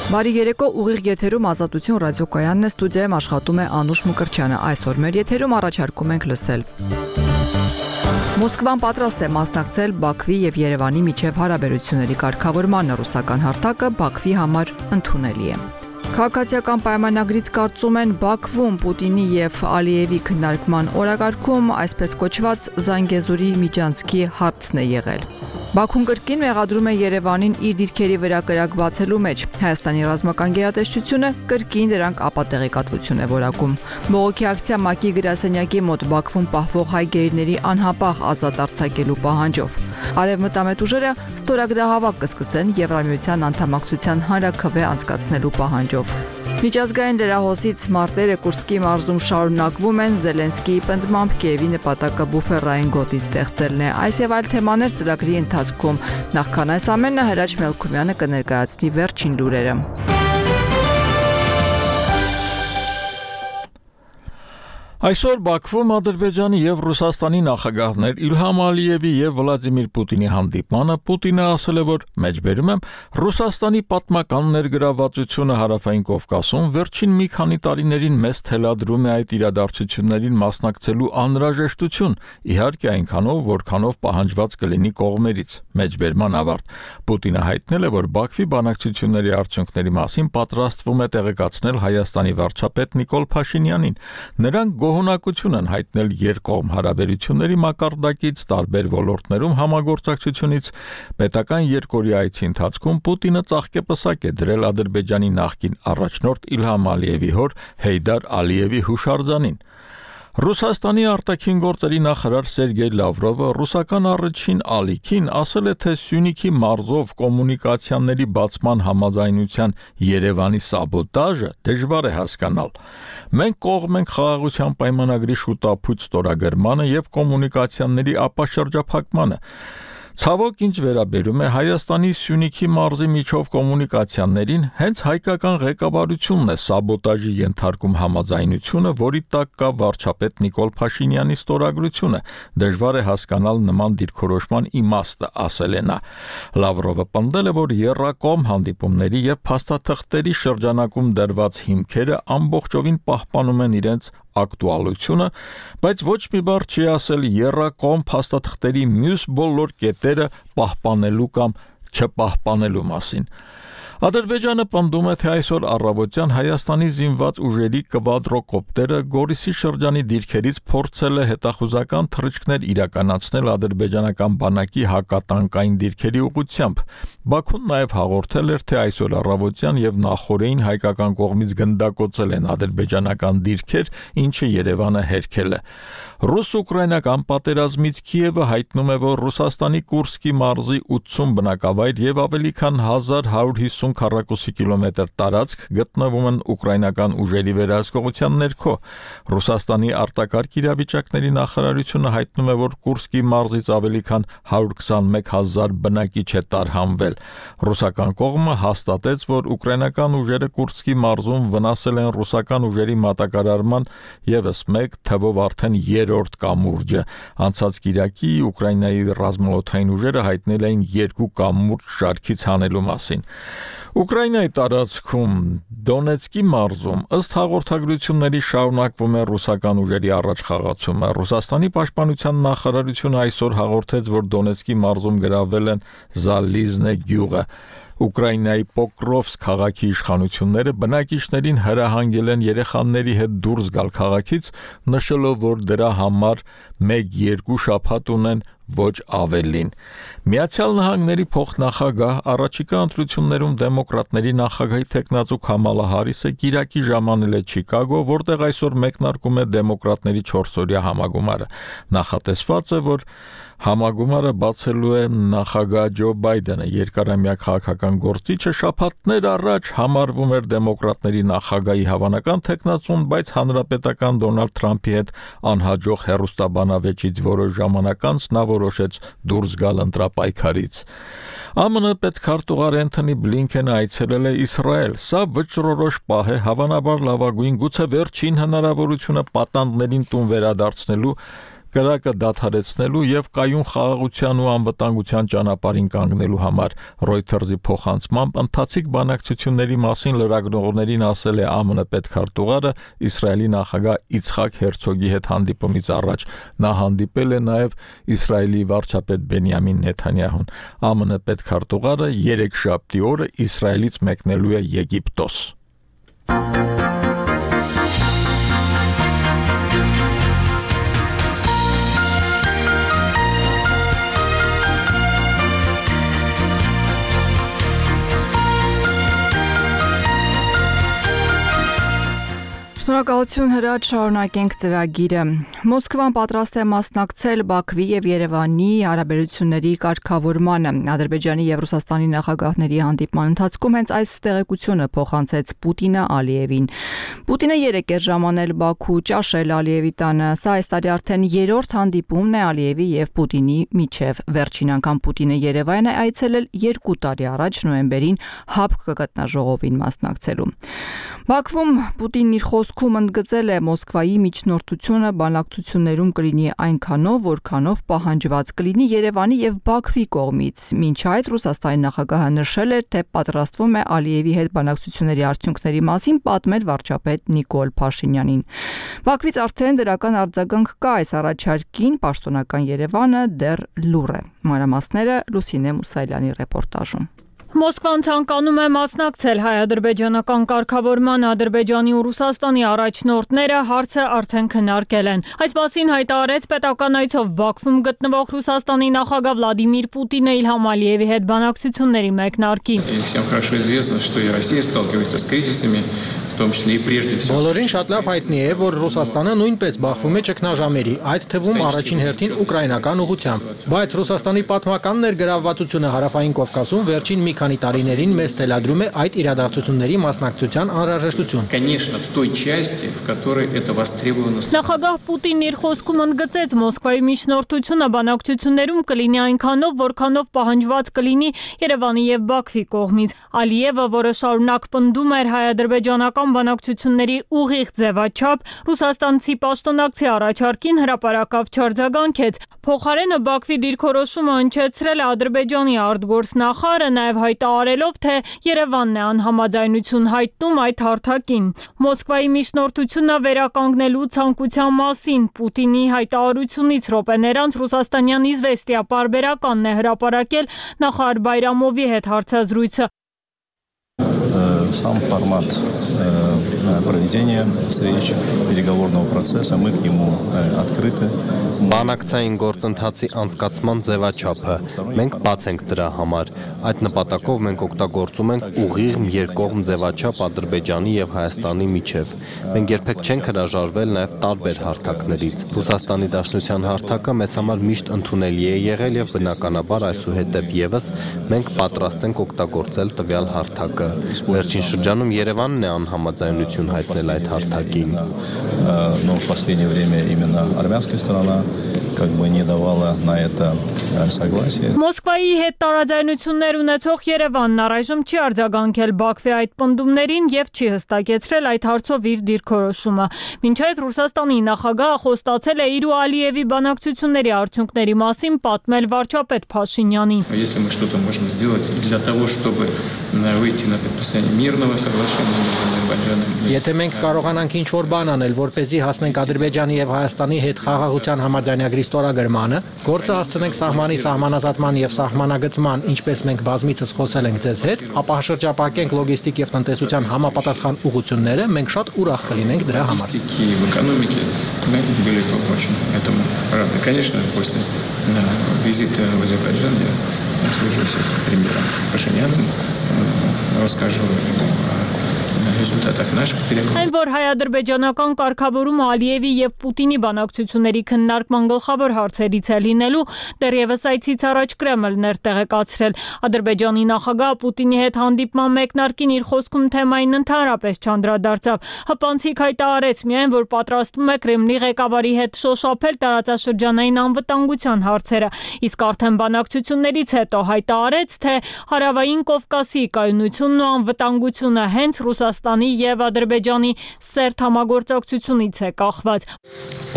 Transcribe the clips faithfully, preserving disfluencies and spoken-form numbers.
Բարի երեկո, ուղիղ եթերում Ազատություն ռադիոկայանն է, ստուդիայում աշխատում է Անուշ Մկրտչյանը։ Այսօր մեր եթերում առաջարկում ենք լսել. Մոսկվան պատրաստ է մասնակցել Բաքվի եւ Երևանի միջև հարաբերությունների կարգավորմանը, ռուսական հարթակը Բաքվի համար ընդունելի է։ Քաղաքացիական պայմանագրից կարծում են Բաքվում Պուտինի եւ Ալիևի քննարկման օրակարգում այսպես կոչված Զանգեզուրի միջանցքի հարցն է եղել։ Բաքուն կրկին մեղադրում է Երևանին իր դիրքերի վրա կրակ բացելու մեջ։ Հայաստանի ռազմական գերատեսչությունը կրկին դրանք ապատեղեկատվություն է որակում։ Բողոքի ակցիա ՄԱԿ-ի գրասենյակի մոտ Բաքվում պահվող հայ գերիների անհապաղ ազատ արձակելու պահանջով։ Արևմտամետ ուժերը ստորագրահավաք կսկսեն Եվրամիության անդամակցության հանրաքվե անցկացնելու պահանջով։ Միջազգային լրահոսից մարտերը Կուրսկի մարզում շարունակվում են, Զելենսկիի պնդմամբ Կիևի նպատակը բուֆերային գոտի ստեղծելն է։ Այս եւ այլ թեմաներ ծրագրի ընթացքում։ Նախքան այս ամենը Հրաչ Մելքումյանը կներկայացնի վերջին լուրերը։ Այսօր Բաքվում Ադրբեջանի եւ Ռուսաստանի նախագահներ Իլհամ Ալիևի եւ Վլադիմիր Պուտինի հանդիպմանը Պուտինը ասել է, որ մեջբերում եմ Ռուսաստանի պատմական ներգրավվածությունը Հարավային Կովկասում վերջին մի քանի տարիներին մեծ թելադրում է այդ իրադարձություններին մասնակցելու անհրաժեշտություն, իհարկե այնքանով, որքանով պահանջված կլինի կողմերից։ Մեջբերման ավարտ Պուտինը հայտնել է, որ Բաքվի բանակցությունների արդյունքների մասին պատրաստվում է տեղեկացնել Հայաստանի վարչապետ Նիկոլ Փաշինյանին։ Նրանք գոհունակություն են հայտնել երկկողմ հարաբերությունների մակարդակից տարբեր ոլորտներում համագործակցությունից։ Պետական երկօրյա այցի ընթացքում Պուտինը ծաղկեպսակ է դրել Ադրբեջանի նախկին առաջնորդ Իլհամ Ալիևի հոր Հեյդար Ալիևի հուշարձանին։ Ռուսաստանի արտաքին գործերի նախարար Սերգեյ Լավրովը ռուսական առաջին ալիքին ասել է, թե Սյունիքի մարզով կոմունիկացիաների բացման համաձայնության Երևանի սաբոտաժը դժվար է հասկանալ։ Մենք կողմ ենք խաղաղության պայմանագրի շուտապույտ ստորագրմանը եւ կոմունիկացիաների ապաշրջափակմանը։ Ցավոք, ինչ վերաբերում է Հայաստանի Սյունիքի մարզի միջով կոմունիկացիաներին, հենց հայկական ղեկավարությունն է սաբոտաժի ենթարկում համաձայնությունը, որի տակ կա վարչապետ Նիկոլ Փաշինյանի ստորագրությունը։ Դժվար է հասկանալ նման դիրքորոշման իմաստը, ասել է նա։ Լավրովը պնդել է, որ եռակողմ հանդիպումների եւ փաստաթղթերի շրջանակում դրված հիմքերը ամբողջովին պահպանում են իրենց ակտուալությունը, բայց ոչ մի բառ չի ասել եռակողմ փաստաթղթերի մյուս բոլոր կետերը պահպանելու կամ չպահպանելու մասին։ Ադրբեջանը պնդում է, թե այսօր առավոտյան Հայաստանի զինված ուժերի կվադրոկոպտերը Գորիսի շրջանի դիրքերից փորձել է հետախուզական թռիչքներ իրականացնել ադրբեջանական բանակի հակատանկային դիրքերի ուղղությամբ։ Բաքուն նաև հաղորդել էր, թե այսօր առավոտյան եւ նախօրեին հայկական կողմից գնդակոծել են ադրբեջանական դիրքեր, ինչը Երևանը հերքել է։ Ռուս-ուկրաինական պատերազմից Կիևը հայտնում է, որ Ռուսաստանի Կուրսկի մարզի ութսուն բնակավայր եւ ավելի քան հազար հարյուր հիսուն քառակուսի կիլոմետր տարածք գտնվում են ուկրաինական ուժերի վերահսկողության ներքո։ Ռուսաստանի արտակարգ իրավիճակների նախարարությունը հայտնում է, որ Կուրսկի մարզից ավելի քան հարյուր քսանմեկ հազար բնակիչ է տարհանվել։ Ռուսական կողմը հաստատեց, որ ուկրաինական ուժերը Կուրսկի մարզում վնասել են ռուսական ուժերի մատակարարման եւս մեկ թվով արդեն երրորդ կամուրջը։ Անցած կիրակի Ուկրաինայի ռազմաօդային ուժերը հայտնել էին երկու կամուրջ շարքից հանելու մասին։ Ուկրաինայի տարածքում Դոնեցկի մարզում ըստ հաղորդագրությունների շարունակվում է ռուսական ուժերի առաջխաղացումը։ Ռուսաստանի պաշտպանության նախարարությունը այսօր հաղորդեց, որ Դոնեցկի մարզում գրավել են Զալիզնե գյուղը։ Ուկրաինայի Պոկրովսկ քաղաքի իշխանությունները բնակիչներին հրահանգել են երեխաների հետ դուրս գալ քաղաքից, նշելով, որ դրա համար մեկ-երկու շաբաթ ունեն, ոչ ավելին։ Միացյալ Նահանգների փոխնախագահ առաջիկա ընտրություններում դեմոկրատների նախագահի թեկնածու Քամալա Հարիսը գիրակի ժամանել է Չիկագո, որտեղ այսօր մեկնարկում է դեմոկրատների չորսօրյա համագումարը։ Նախատեսված է, որ համագումարը բացելու է նախագահ Ջո Բայդենը։ Երկարամյա քաղաքական գործիչը շաբաթներ առաջ համարվում էր դեմոկրատների նախագահի հավանական թեկնածուն, բայց հանրապետական Դոնալդ Թրամփի հետ անհաջող հեռուստաբանավեճից որոշ ժամանակ անց նա որոշեց դուրս գալ ընտրապայքարից։ ԱՄՆ պետքարտուղար Էնթոնի Բլինքենը այցելել է Իսրայել։ Սա վճռորոշ պահ է, հավանաբար լավագույն, գուցե վերջին հնարավորությունը պատանդներին տուն վերադարձնելու կրակը դադարեցնելու եւ կայուն խաղաղության ու անվտանգության ճանապարհին կանգնելու համար։ Reuters-ի փոխանցմամբ ընթացիկ բանակցությունների մասին լրագրողներին ասել է ԱՄՆ պետքարտուղարը Իսրայելի նախագահ Իցխակ Հերցոգի հետ հանդիպումից առաջ։ Նա հանդիպել է նաեւ Իսրայելի վարչապետ Բենյամին Նեթանյահուն։ ԱՄՆ պետքարտուղարը երեքշաբթի օրը Իսրայելից մեկնելու է Եգիպտոս։ Շնորհակալություն Հրաչ, շարունակենք ծրագիրը։ Մոսկվան պատրաստ է մասնակցել Բաքվի եւ Երևանի հարաբերությունների կարգավորմանը։ Ադրբեջանի եւ Ռուսաստանի նախագահների հանդիպման ընթացքում հենց այս տեղեկությունը փոխանցեց Պուտինը Ալիևին։ Պուտինը երեկ էր ժամանել Բաքու ճաշել Ալիևի տանը։ Սա այս տարի արդեն երրորդ հանդիպումն է Ալիևի եւ Պուտինի միջև։ Վերջին անգամ Պուտինը Երևան է այցելել երկու տարի առաջ նոյեմբերին ՀԱՊԿ գտնաժողովին մասնակցելու։ Բաքվում Պուտինն իր խոսքում ընդգծել է Մոսկվայի միջնորդությունը բանակցություններում կլինի այնքանով, որքանով պահանջված կլինի Երևանի եւ Բաքվի կողմից։ Մինչ այդ Ռուսաստանի նախագահը նշել էր, թե պատրաստվում է Ալիևի հետ բանակցությունների արդյունքների մասին պատմել վարչապետ Նիկոլ Փաշինյանին։ Բաքվից արդեն դրական արձագանք կա այս առաջարկին, պաշտոնական Երևանը դեռ լուռ է։ Մանրամասները Լուսինե Մուսայելյանի ռեպորտաժում։ Մոսկվան ցանկանում է մասնակցել հայ-ադրբեջանական կարգավորման Ադրբեջանի ու Ռուսաստանի առաջնորդները հարցը արդեն քննարկել են։ Այս մասին հայտարարեց պետական այցով Բաքվում գտնվող Ռուսաստանի նախագահ Վլադիմիր Պուտինը Իլհամ Ալիևի հետ բանակցությունների մեկնարկին։ Բոլորին շատ լավ հայտնի է, որ Ռուսաստանը նույնպես բախվում է ճգնաժամերի, այդ թվում առաջին հերթին ուկրաինական ուղղությամբ։ Բայց Ռուսաստանի պատմական ներգրավվածությունը Հարավային Կովկասում վերջին մի քանի տարիներին մեզ թելադրում է այդ իրադարձությունների մասնակցության անհրաժեշտություն։ Նախագահ Պուտինն իր խոսքում ընդգծեց Մոսկվայի միջնորդությունը բանակցություններում կլինի այնքանով, որքանով պահանջված կլինի Երևանի եւ Բաքվի կողմից։ Ալիևը, որը շարունակ պնդում էր հայ-ադրբեջանական բանակցությունների ուղիղ ձևաչափ, ռուսաստանցի պաշտոնակցի առաջարկին հրապարակավ չարձագանքեց։ Փոխարենը Բաքվի դիրքորոշումը հնչեցրել է Ադրբեջանի արտգործնախարարը, նաև հայտարարելով, թե Երևանն է անհամաձայնություն հայտնում այդ հարթակին։ Մոսկվայի միջնորդությունը վերականգնելու ցանկության մասին Պուտինի հայտարարությունից րոպեներ անց ռուսաստանյան Իզվեստիա պարբերականն է հրապարակել նախարար Բայրամովի հետ հարցազրույցը։ Сам формат проведения встреч, переговорного процесса, мы к нему открыты. Բանակցային գործընթացի անցկացման ձևաչափը մենք բաց ենք դրա համար։ Այդ նպատակով մենք օգտագործում ենք ուղիղ երկկողմ ձևաչափ Ադրբեջանի եւ Հայաստանի միջև։ Մենք երբեք չենք հրաժարվել նաեւ տարբեր հարթակներից։ Ռուսաստանի Դաշնության հարթակը մեզ համար միշտ ընդունելի է եղել եւ բնականաբար այսուհետեւ եւս մենք պատրաստ ենք օգտագործել տվյալ հարթակը։ Վերջին շրջանում Երևանն է անհամաձայնություն հայտնել այդ հարթակին։ Но в последнее время именно армянская сторона как бы не давала на это согласие. Մոսկվայի հետ տարաձայնություններ ունեցող Երևանն առայժմ չի արձագանքել Բաքվի այդ պնդումներին եւ չի հստակեցրել այդ հարցով իր դիրքորոշումը։ Մինչ այդ Ռուսաստանի նախագահը խոստացել է իր ու Ալիևի բանակցությունների արդյունքների մասին պատմել վարչապետ Փաշինյանին։ Если мы что-то можем сделать для того, чтобы выйти на подписание мирного соглашения между Азербайджаном. Եթե մենք կարողանանք ինչ-որ բան անել, որպեսզի հասնենք Ադրբեջանի եւ Հայաստանի հետ խաղաղության համաձայնագրի ստորագրմանը, գործը հասցնենք սահմանի սահմանազատման եւ սահմանագծման, ինչպես մենք բազմիցս խոսել ենք ձեզ հետ, ապա շրջապակենք լոգիստիկ եւ տնտեսության համապատասխան угодությունները, մենք շատ ուրախ կլինենք дրա համար։ В экономике мы были очень этому рады. Конечно, после визита в Азербайджан я свяжусь с премьером Пашиняном, расскажу ему Այն որ հայ-ադրբեջանական կարգավորումը Ալիևի եւ Պուտինի բանակցությունների քննարկման գլխավոր հարցերից է լինելու, դեռևս այցից առաջ Կրեմլն էր տեղեկացրել։ Ադրբեջանի նախագահ Պուտինի հետ հանդիպման մեկնարկին իր խոսքում թեմային ընդհանրապես չանդրադարձավ։ Հպանցիկ հայտարարեց միայն, որ պատրաստվում է Կրեմլի ղեկավարի հետ շոշափել տարածաշրջանային անվտանգության հարցերը, իսկ արդեն բանակցություններից հետո հայտարարեց, թե Հարավային Կովկասի կայունությունն ու անվտանգությունը հենց Ռուսաստանի Ռուսաստանի եւ Ադրբեջանի սերտ համագործակցությունից է կախված։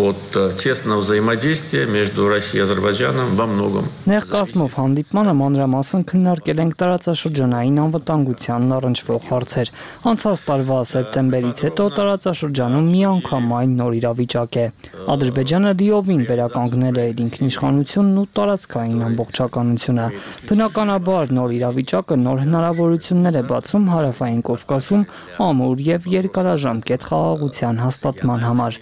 От тесного взаимодействия между Россией и Азербайджаном во многом. Ներկայացմով հանդիպմանը մանրամասն քննարկել ենք տարածաշրջանային անվտանգությանն առնչվող հարցեր։ Անցած տարվա սեպտեմբերից հետո տարածաշրջանում միանգամայն նոր իրավիճակ է։ Ադրբեջանը լիովին վերականգնել է իր ինքնիշխանությունն ու տարածքային ամբողջականությունը։ Բնականաբար նոր իրավիճակը նոր հնարավորություններ է բացում Հարավային Կովկասում ամուր եւ երկարաժամկետ խաղաղության հաստատման համար։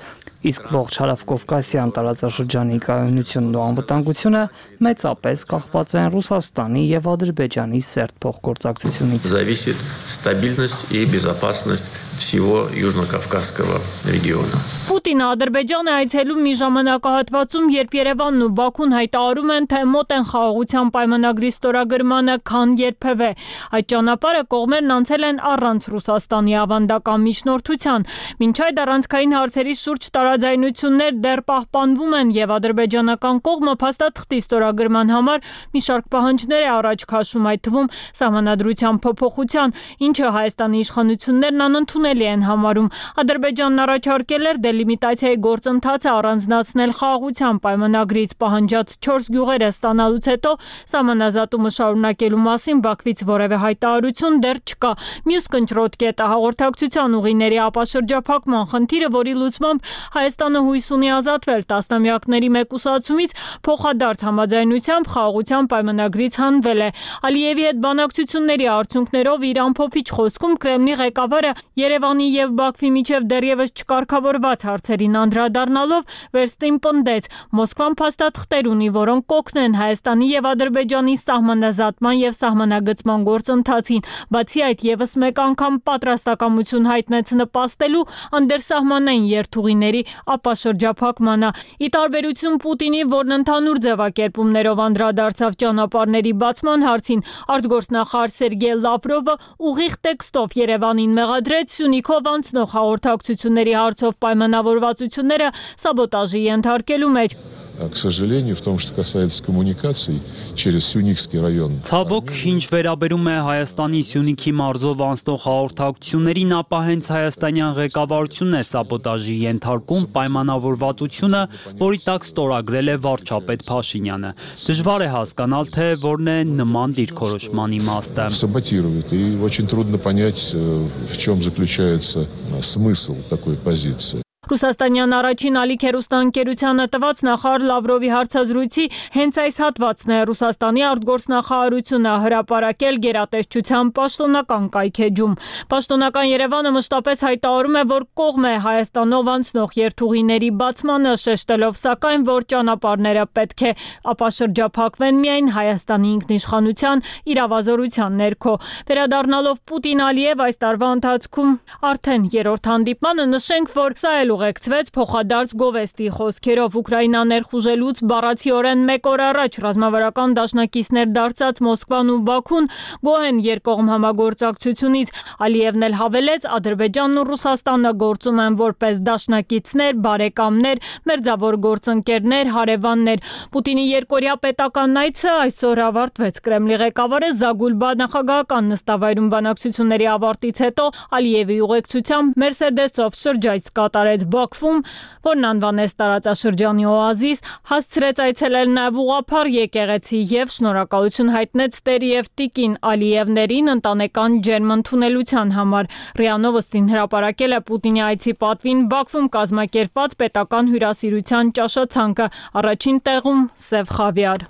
Իսկ ողջ հարավկովկասյան տարածաշրջանի կայունությունն ու անվտանգությունը մեծապես կախված են Ռուսաստանի եւ Ադրբեջանի սերտ փոխգործակցությունից։ Зависит стабильность и безопасность всего Южно-Кавказского региона. Պուտինը Ադրբեջան է այցելում մի ժամանակահատվածում, երբ Երևանն ու Բաքուն հայտարարում են, թե մոտ են խաղաղության պայմանագրի ստորագրմանը, քան երբևէ։ Այդ ճանապարհը կողմերն անցել են առանց Ռուսաստանի ավանդական միջնորդության։ Մինչ այդ առանցքային հարցերի շուրջ տարաձայնություններ դեռ պահպանվում են եւ ադրբեջանական կողմը փաստաթղթի ստորագրման համար մի շարք պահանջներ է առաջ քաշում, այդ թվում սահմանադրության փոփոխության, ինչը Հայաստանի իշխանություններն անընդունելի են համարում։ Ադրբեջանն առաջարկել էր դելիմիտացիայի գործընթացը առանձնացնել խաղաղության պայմանագրից պահանջած չորս գյուղերը ստանալուց հետո սահմանազատումը շարունակելու մասին Բաքվից որևէ հայտարարություն դեռ չկա։ Մյուս կնճռոտ կետը հաղորդակցության ուղիների ապաշրջափակման խնդիրը, որի լուծմամբ Հայաստանը հույս ունի ազատվել տասնամյակների մեկուսացումից, փոխադարձ համաձայնությամբ խաղաղության պայմանագրից հանվել է։ Ալիևի հետ բանակցությունների արդյունքներով իր ամփոփիչ խոսքում Կրեմլի ղեկավարը Երևանի եւ Բաքվի միջև դեռևս չկարգավորված հարցերին անդրադառնալով վերստին պնդեց. Մոսկվան փաստաթղթեր ունի, որոնք կօգնեն Հայաստանի եւ Ադրբեջանի սահմանազատման եւ սահմանագծման գործընթացին։ Բացի այդ, եւս մեկ անգամ պատրաստակամություն հայտնեց նպաստելու անդերսահմանային երթուղիների ապաշրջափակմանը։ Ի տարբերություն Պուտինի, որն ընդհանուր ձևակերպումներով անդրադարձավ ճանապարհների բացման հարցին, արտգործնախարար Սերգեյ Լավրովը ուղիղ տեքստով Երևանին մեղադրեց Սյունիքով անցնող հաղորդակցությունների հարցով պայմանավորվածությունները սաբոտաժի ենթարկելու մեջ։ К сожалению, в том, что касается коммуникаций через Сюникский район. Ցավոք, ինչ վերաբերում է Հայաստանի Սյունիքի մարզով անցնող հաղորդակցություններին, ապա հենց հայաստանյան ղեկավարությունն է սաբոտաժի ենթարկում պայմանավորվածությունը, որի տակ ստորագրել է վարչապետ Փաշինյանը։ Դժվար է հասկանալ, թե որն է նման դիրքորոշման իմաստը։ Саботирует, и очень трудно понять, в чем заключается смысл такой позиции. Ռուսաստանյան առաջին ալիք հեռուստաընկերությանը տված նախարար Լավրովի հարցազրույցի հենց այս հատվածն է Ռուսաստանի արտգործնախարարությունը հրապարակել գերատեսչության պաշտոնական կայքեջում։ Պաշտոնական Երևանը մշտապես հայտարարում է, որ կողմ է Հայաստանով անցնող երթուղիների բացմանը, շեշտելով սակայն, որ ճանապարհները պետք է ապաշրջափակվեն միայն Հայաստանի ինքնիշխանության իրավազորության ներքո։ Վերադառնալով Պուտին-Ալիև այս տարվա ընթացքում արդեն երրորդ հանդիպմանը նշենք, որ սա էլ ուղեկցվեց փոխադարձ գովեստի խոսքերով Ուկրաինան ներխուժելուց բառացիորեն մեկ օր առաջ ռազմավարական դաշնակիցներ դարձած Մոսկվան ու Բաքուն գոհ են երկկողմ համագործակցությունից։ Ալիևն էլ հավելեց, Ադրբեջանն ու Ռուսաստանը գործում են որպես դաշնակիցներ, բարեկամներ, մերձավոր գործընկերներ, հարևաններ։ Պուտինի երկօրյա պետական այցը այսօր ավարտվեց։ Կրեմլի ղեկավարը Զագուլբա նախագահական նստավայրում բանակցությունների ավարտից հետո Ալիևի ուղեկցությամբ Մերսեդեսով շրջայց կատարեց Բաքվում, որն անվանեց տարածաշրջանի օազիս, հասցրեց այցելել նաև ուղղափառ եկեղեցի եւ շնորհակալություն հայտնեց Տեր եւ Տիկին Ալիևներին ընտանեկան ջերմ ընդունելության համար։ ՌԻԱ Նովոստին հրապարակել է Պուտինի այցի պատվին Բաքվում կազմակերպված պետական հյուրասիրության ճաշացանկը, առաջին տեղում Սև խավիար։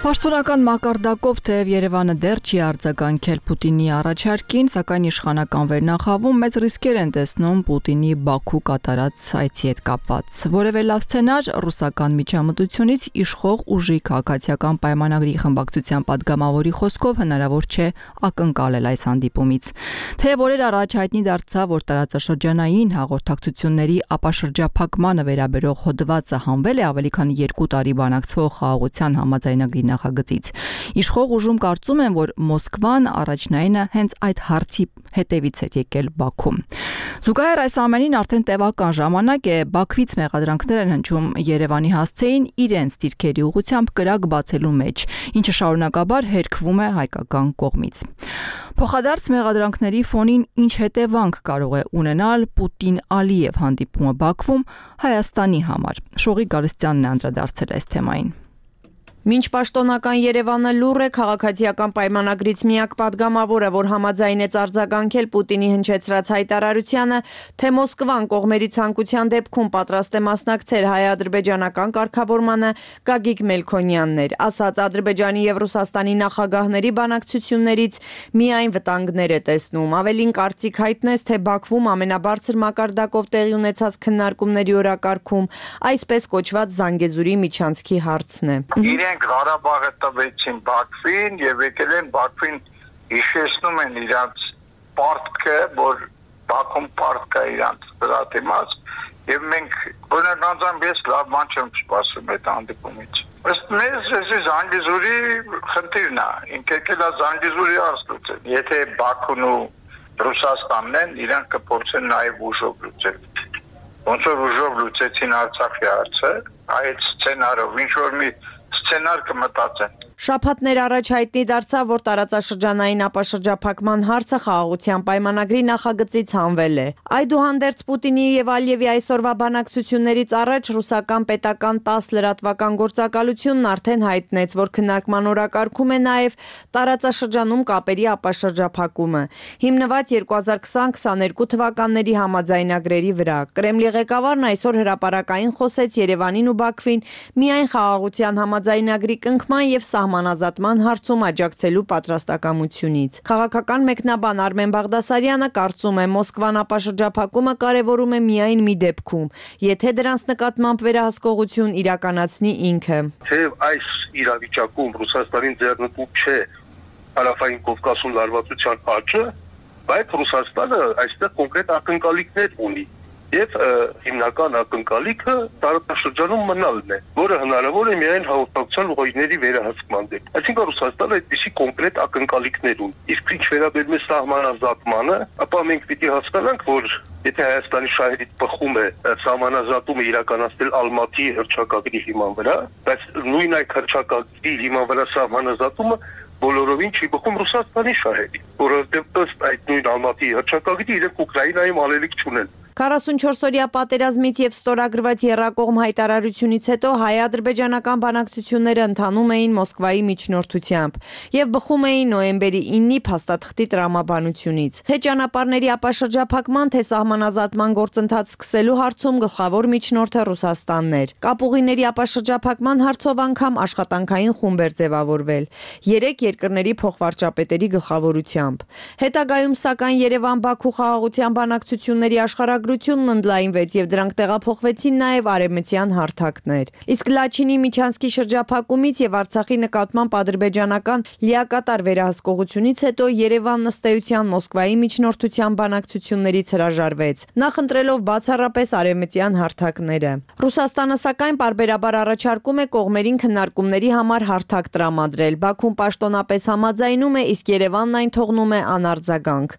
Պաշտոնական մակարդակով թեև Երևանը դեռ չի արձագանքել Պուտինի առաջարկին, սակայն իշխանական վերնախավում մեծ ռիսկեր են տեսնում Պուտինի Բաքու կատարած այցի հետ կապված։ Որևէ լավ սցենար ռուսական միջամտությունից իշխող ուժի քաղաքացիական պայմանագրի խմբակցության падգամավորի խոսքով հնարավոր չէ ակնկալել այս հանդիպումից։ Թեև օրեր առաջ հայտնի դարձավ, որ տարածաշրջանային հաղորդակցությունների ապաշրջափակմանը վերաբերող հոդվածը հանվել է ավելի քան երկու տարի բանակցվող խաղաղության համաձայնագրի նախագծից։ Իշխող ուժում կարծում են, որ Մոսկվան առաջնայինը հենց այդ հարցի հետևից էր եկել Բաքու։ Զուգահեռ այս ամենին արդեն տևական ժամանակ է Բաքվից մեղադրանքներ են հնչում Երևանի հասցեին իրենց դիրքերի ուղղությամբ կրակ բացելու մեջ, ինչը շարունակաբար հերքվում է հայկական կողմից։ Փոխադարձ մեղադրանքների ֆոնին ինչ հետևանք կարող է ունենալ Պուտին-Ալիև հանդիպումը Բաքվում Հայաստանի համար։ Շողի Գալստյանն է անդրադարձել այս թեմային։ Մինչ պաշտոնական Երևանը լուռ է, քաղաքացիական պայմանագրից միակ պատգամավորը, որ համաձայնեց արձագանքել Պուտինի հնչեցրած հայտարարությանը, թե Մոսկվան կողմերի ցանկության դեպքում պատրաստ է մասնակցել հայ-ադրբեջանական կարգավորմանը, Գագիկ Մելքոնյանն էր, ասաց Ադրբեջանի եւ Ռուսաստանի նախագահների բանակցություններից միայն վտանգներ է տեսնում։ Ավելին կարծիք հայտնեց, թե Բաքվում ամենաբարձր մակարդակով տեղի ունեցած քննարկումների օրակարգում այսպես կոչված Զանգեզուրի միջանցքի հարցն է։ Իրենք Ղարաբաղը տվեցին Բաքվին եւ եկել են Բաքվին հիշեցնում են իրանց պարտքը, որ Բաքվում պարտք կա իրանց դրա դիմաց եւ մենք բնականաբար ես լավ ման չեմ սպասում այդ հանդիպումից։ Ըստ մեզ էս Զանգեզուրի խնդիրն է, ինքը եկել է Զանգեզուրի հարցը։ Եթե Բաքուն ու Ռուսաստանն են, իրանք կփորձեն նաեւ ուժով լուծել։ Ոնց որ ուժով լուծեցին Արցախի հարցը, այդ սցենարով ինչ որ մի սցենար կմտածեն։ Շաբաթներ առաջ հայտնի դարձավ, որ տարածաշրջանային ապաշրջափակման հարցը խաղաղության պայմանագրի նախագծից հանվել է։ Այդուհանդերձ Պուտինի եւ Ալիևի այսօրվա բանակցություններից առաջ ռուսական պետական տասը լրատվական գործակալությունն արդեն հայտնեց, որ քննարկման օրակարգում է նաեւ տարածաշրջանում կապերի ապաշրջափակումը, հիմնված երկու հազար քսան քսաներկու թվականների համաձայնագրերի վրա։ Կրեմլի ղեկավարն այսօր հրապարակային խոսեց Երևանին ու Բաքվին միայն խաղաղության համաձայնագրի կնքման եւ սահմանազատման հարցում աջակցելու պատրաստակամությունից։ Քաղաքական մեկնաբան Արմեն Բաղդասարյանը կարծում է Մոսկվան ապաշրջափակումը կարևորում է միայն մի դեպքում, եթե դրանց նկատմամբ վերահսկողություն իրականացնի ինքը։ Թեև այս իրավիճակում Ռուսաստանին ձեռնտու չէ Հարավային Կովկասում լարվածության աճը, բայց Ռուսաստանը այստեղ կոնկրետ ակնկալիքներ ունի։ Եվ հիմնական ակնկալիքը տարածաշրջանում մնալն է, որը հնարավոր է միայն հաղորդակցության ուղիների վերահսկման դեպքում։ Այսինքն Ռուսաստանը այդպիսի կոնկրետ ակնկալիքներ ունի։ Իսկ ինչ վերաբերում է սահմանազատմանը, ապա մենք պիտի հասկանանք, որ եթե Հայաստանի շահերից բխում է սահմանազատումը իրականացնել Ալմատի հռչակագրի հիման վրա, բայց նույն այդ հռչակագրի հիման վրա սահմանազատումը բոլորովին չի բխում Ռուսաստանի շահերի, որովհետև ըստ այդ նույն Ալմատի հռչակագրի իրենք Ուկրաինայում անելիք չունեն։ քառասունչորս-օրյա պատերազմից եւ ստորագրված եռակողմ հայտարարությունից հետո հայ-ադրբեջանական բանակցությունները ընթանում էին Մոսկվայի միջնորդությամբ եւ բխում էին նոյեմբերի իննի փաստաթղթի տրամաբանությունից։ Թե ճանապարհների ապաշրջափակման, թե սահմանազատման գործընթաց սկսելու հարցում գլխավոր միջնորդը Ռուսաստանն էր։ Կապուղիների ապաշրջափակման հարցով անգամ աշխատանքային խումբ էր ձևավորվել երեք երկրների փոխվարչապետերի գլխավորությամբ։ Հետագայում սակայն Երևան-Բաքու խաղաղության բանակցությունների աշխարհագրությունն ընդլայնվեց եւ դրանք տեղափոխվեցին նաեւ արևմտյան հարթակներ։ Իսկ Լաչինի Միչանսկի շրջափակումից եւ Արցախի նկատմամբ ադրբեջանական լիակատար վերահսկողությունից հետո Երևանն ըստ էության Մոսկվայի միջնորդության բանակցություններից հրաժարվեց, նախընտրելով բացառապես արևմտյան հարթակները։ Ռուսաստանը սակայն պարբերաբար առաջարկում է կողմերին քննարկումների համար հարթակ տրամադրել։ Բաքուն պաշտոնապես համաձայնում է, իսկ Երևանն այն թողնում է անարձագանք։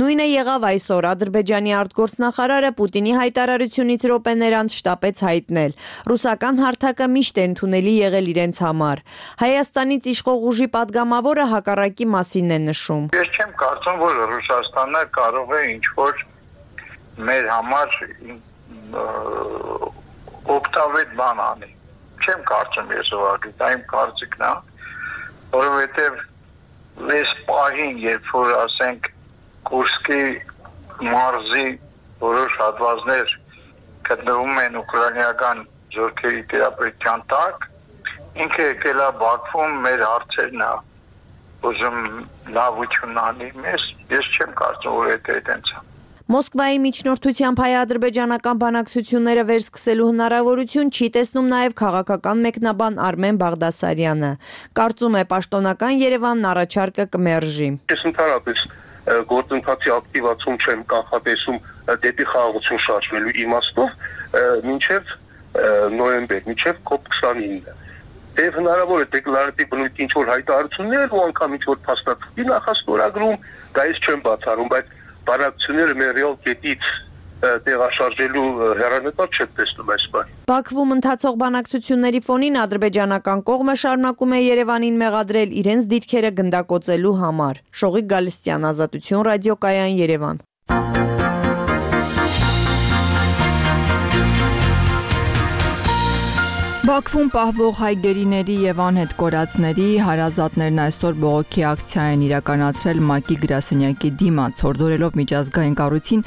Նույնը եղավ այսօր Ադրբեջանի արտգործնախարարը Պուտինի հայտարարությունից րոպեներ անց շտապեց հայտնել. ռուսական հարթակը միշտ է ընդունելի եղել իրենց համար։ Հայաստանից իշխող ուժի падգամավորը հակառակի մասին է նշում։ Ես չեմ կարծում, որ Ռուսաստանը կարող է ինչ-որ մեր համար օգտավետ բան անի։ Չեմ կարծում ես ուղղակի, դա իմ կարծիքն է, որովհետև այս պահին, երբ որ ասենք Կուրսկի մարզի որոշ հատվածներ գտնվում են ուկրաինական զորքերի տիրապետության տակ, ինքը եկել է Բաքվում մեր հարցերն է ուզում լավություն անի մեզ, ես չեմ կարծում, որ դա այդպես է։ Մոսկվայի միջնորդությամբ հայ-ադրբեջանական բանակցությունները վերսկսելու հնարավորություն չի տեսնում նաև քաղաքական մեկնաբան Արմեն Բաղդասարյանը։ Կարծում է պաշտոնական Երևանն առաջարկը կմերժի։ Ես ընդհանրապես գործընթացի ակտիվացում չեմ կանխատեսում դեպի խաղաղություն շարժվելու իմաստով մինչև նոյեմբեր, մինչև կոպ քսանինը։ Եվ հնարավոր է դեկլարատիվ բնույթի ինչ-որ հայտարարություններ ու անգամ ինչ-որ փաստաթղթի նախաստորագրում, դա ես չեմ բացառում, բայց բանակցությունները մեր ռեալ կետից տեղաշարժելու հեռանկար չեմ տեսնում այս բանը։ Բաքվում ընթացող բանակցությունների ֆոնին ադրբեջանական կողմը շարունակում է Երևանին մեղադրել իրենց դիրքերը գնդակոծելու համար։ Շողիկ Գալստյան, Ազատություն ռադիոկայան, Երևան։ Բաքվում պահվող հայ գերիների եւ անհետ կորածների հարազատներն այսօր բողոքի ակցիա են իրականացրել ՄԱԿ-ի գրասենյակի դիմաց, հորդորելով միջազգային կառույցին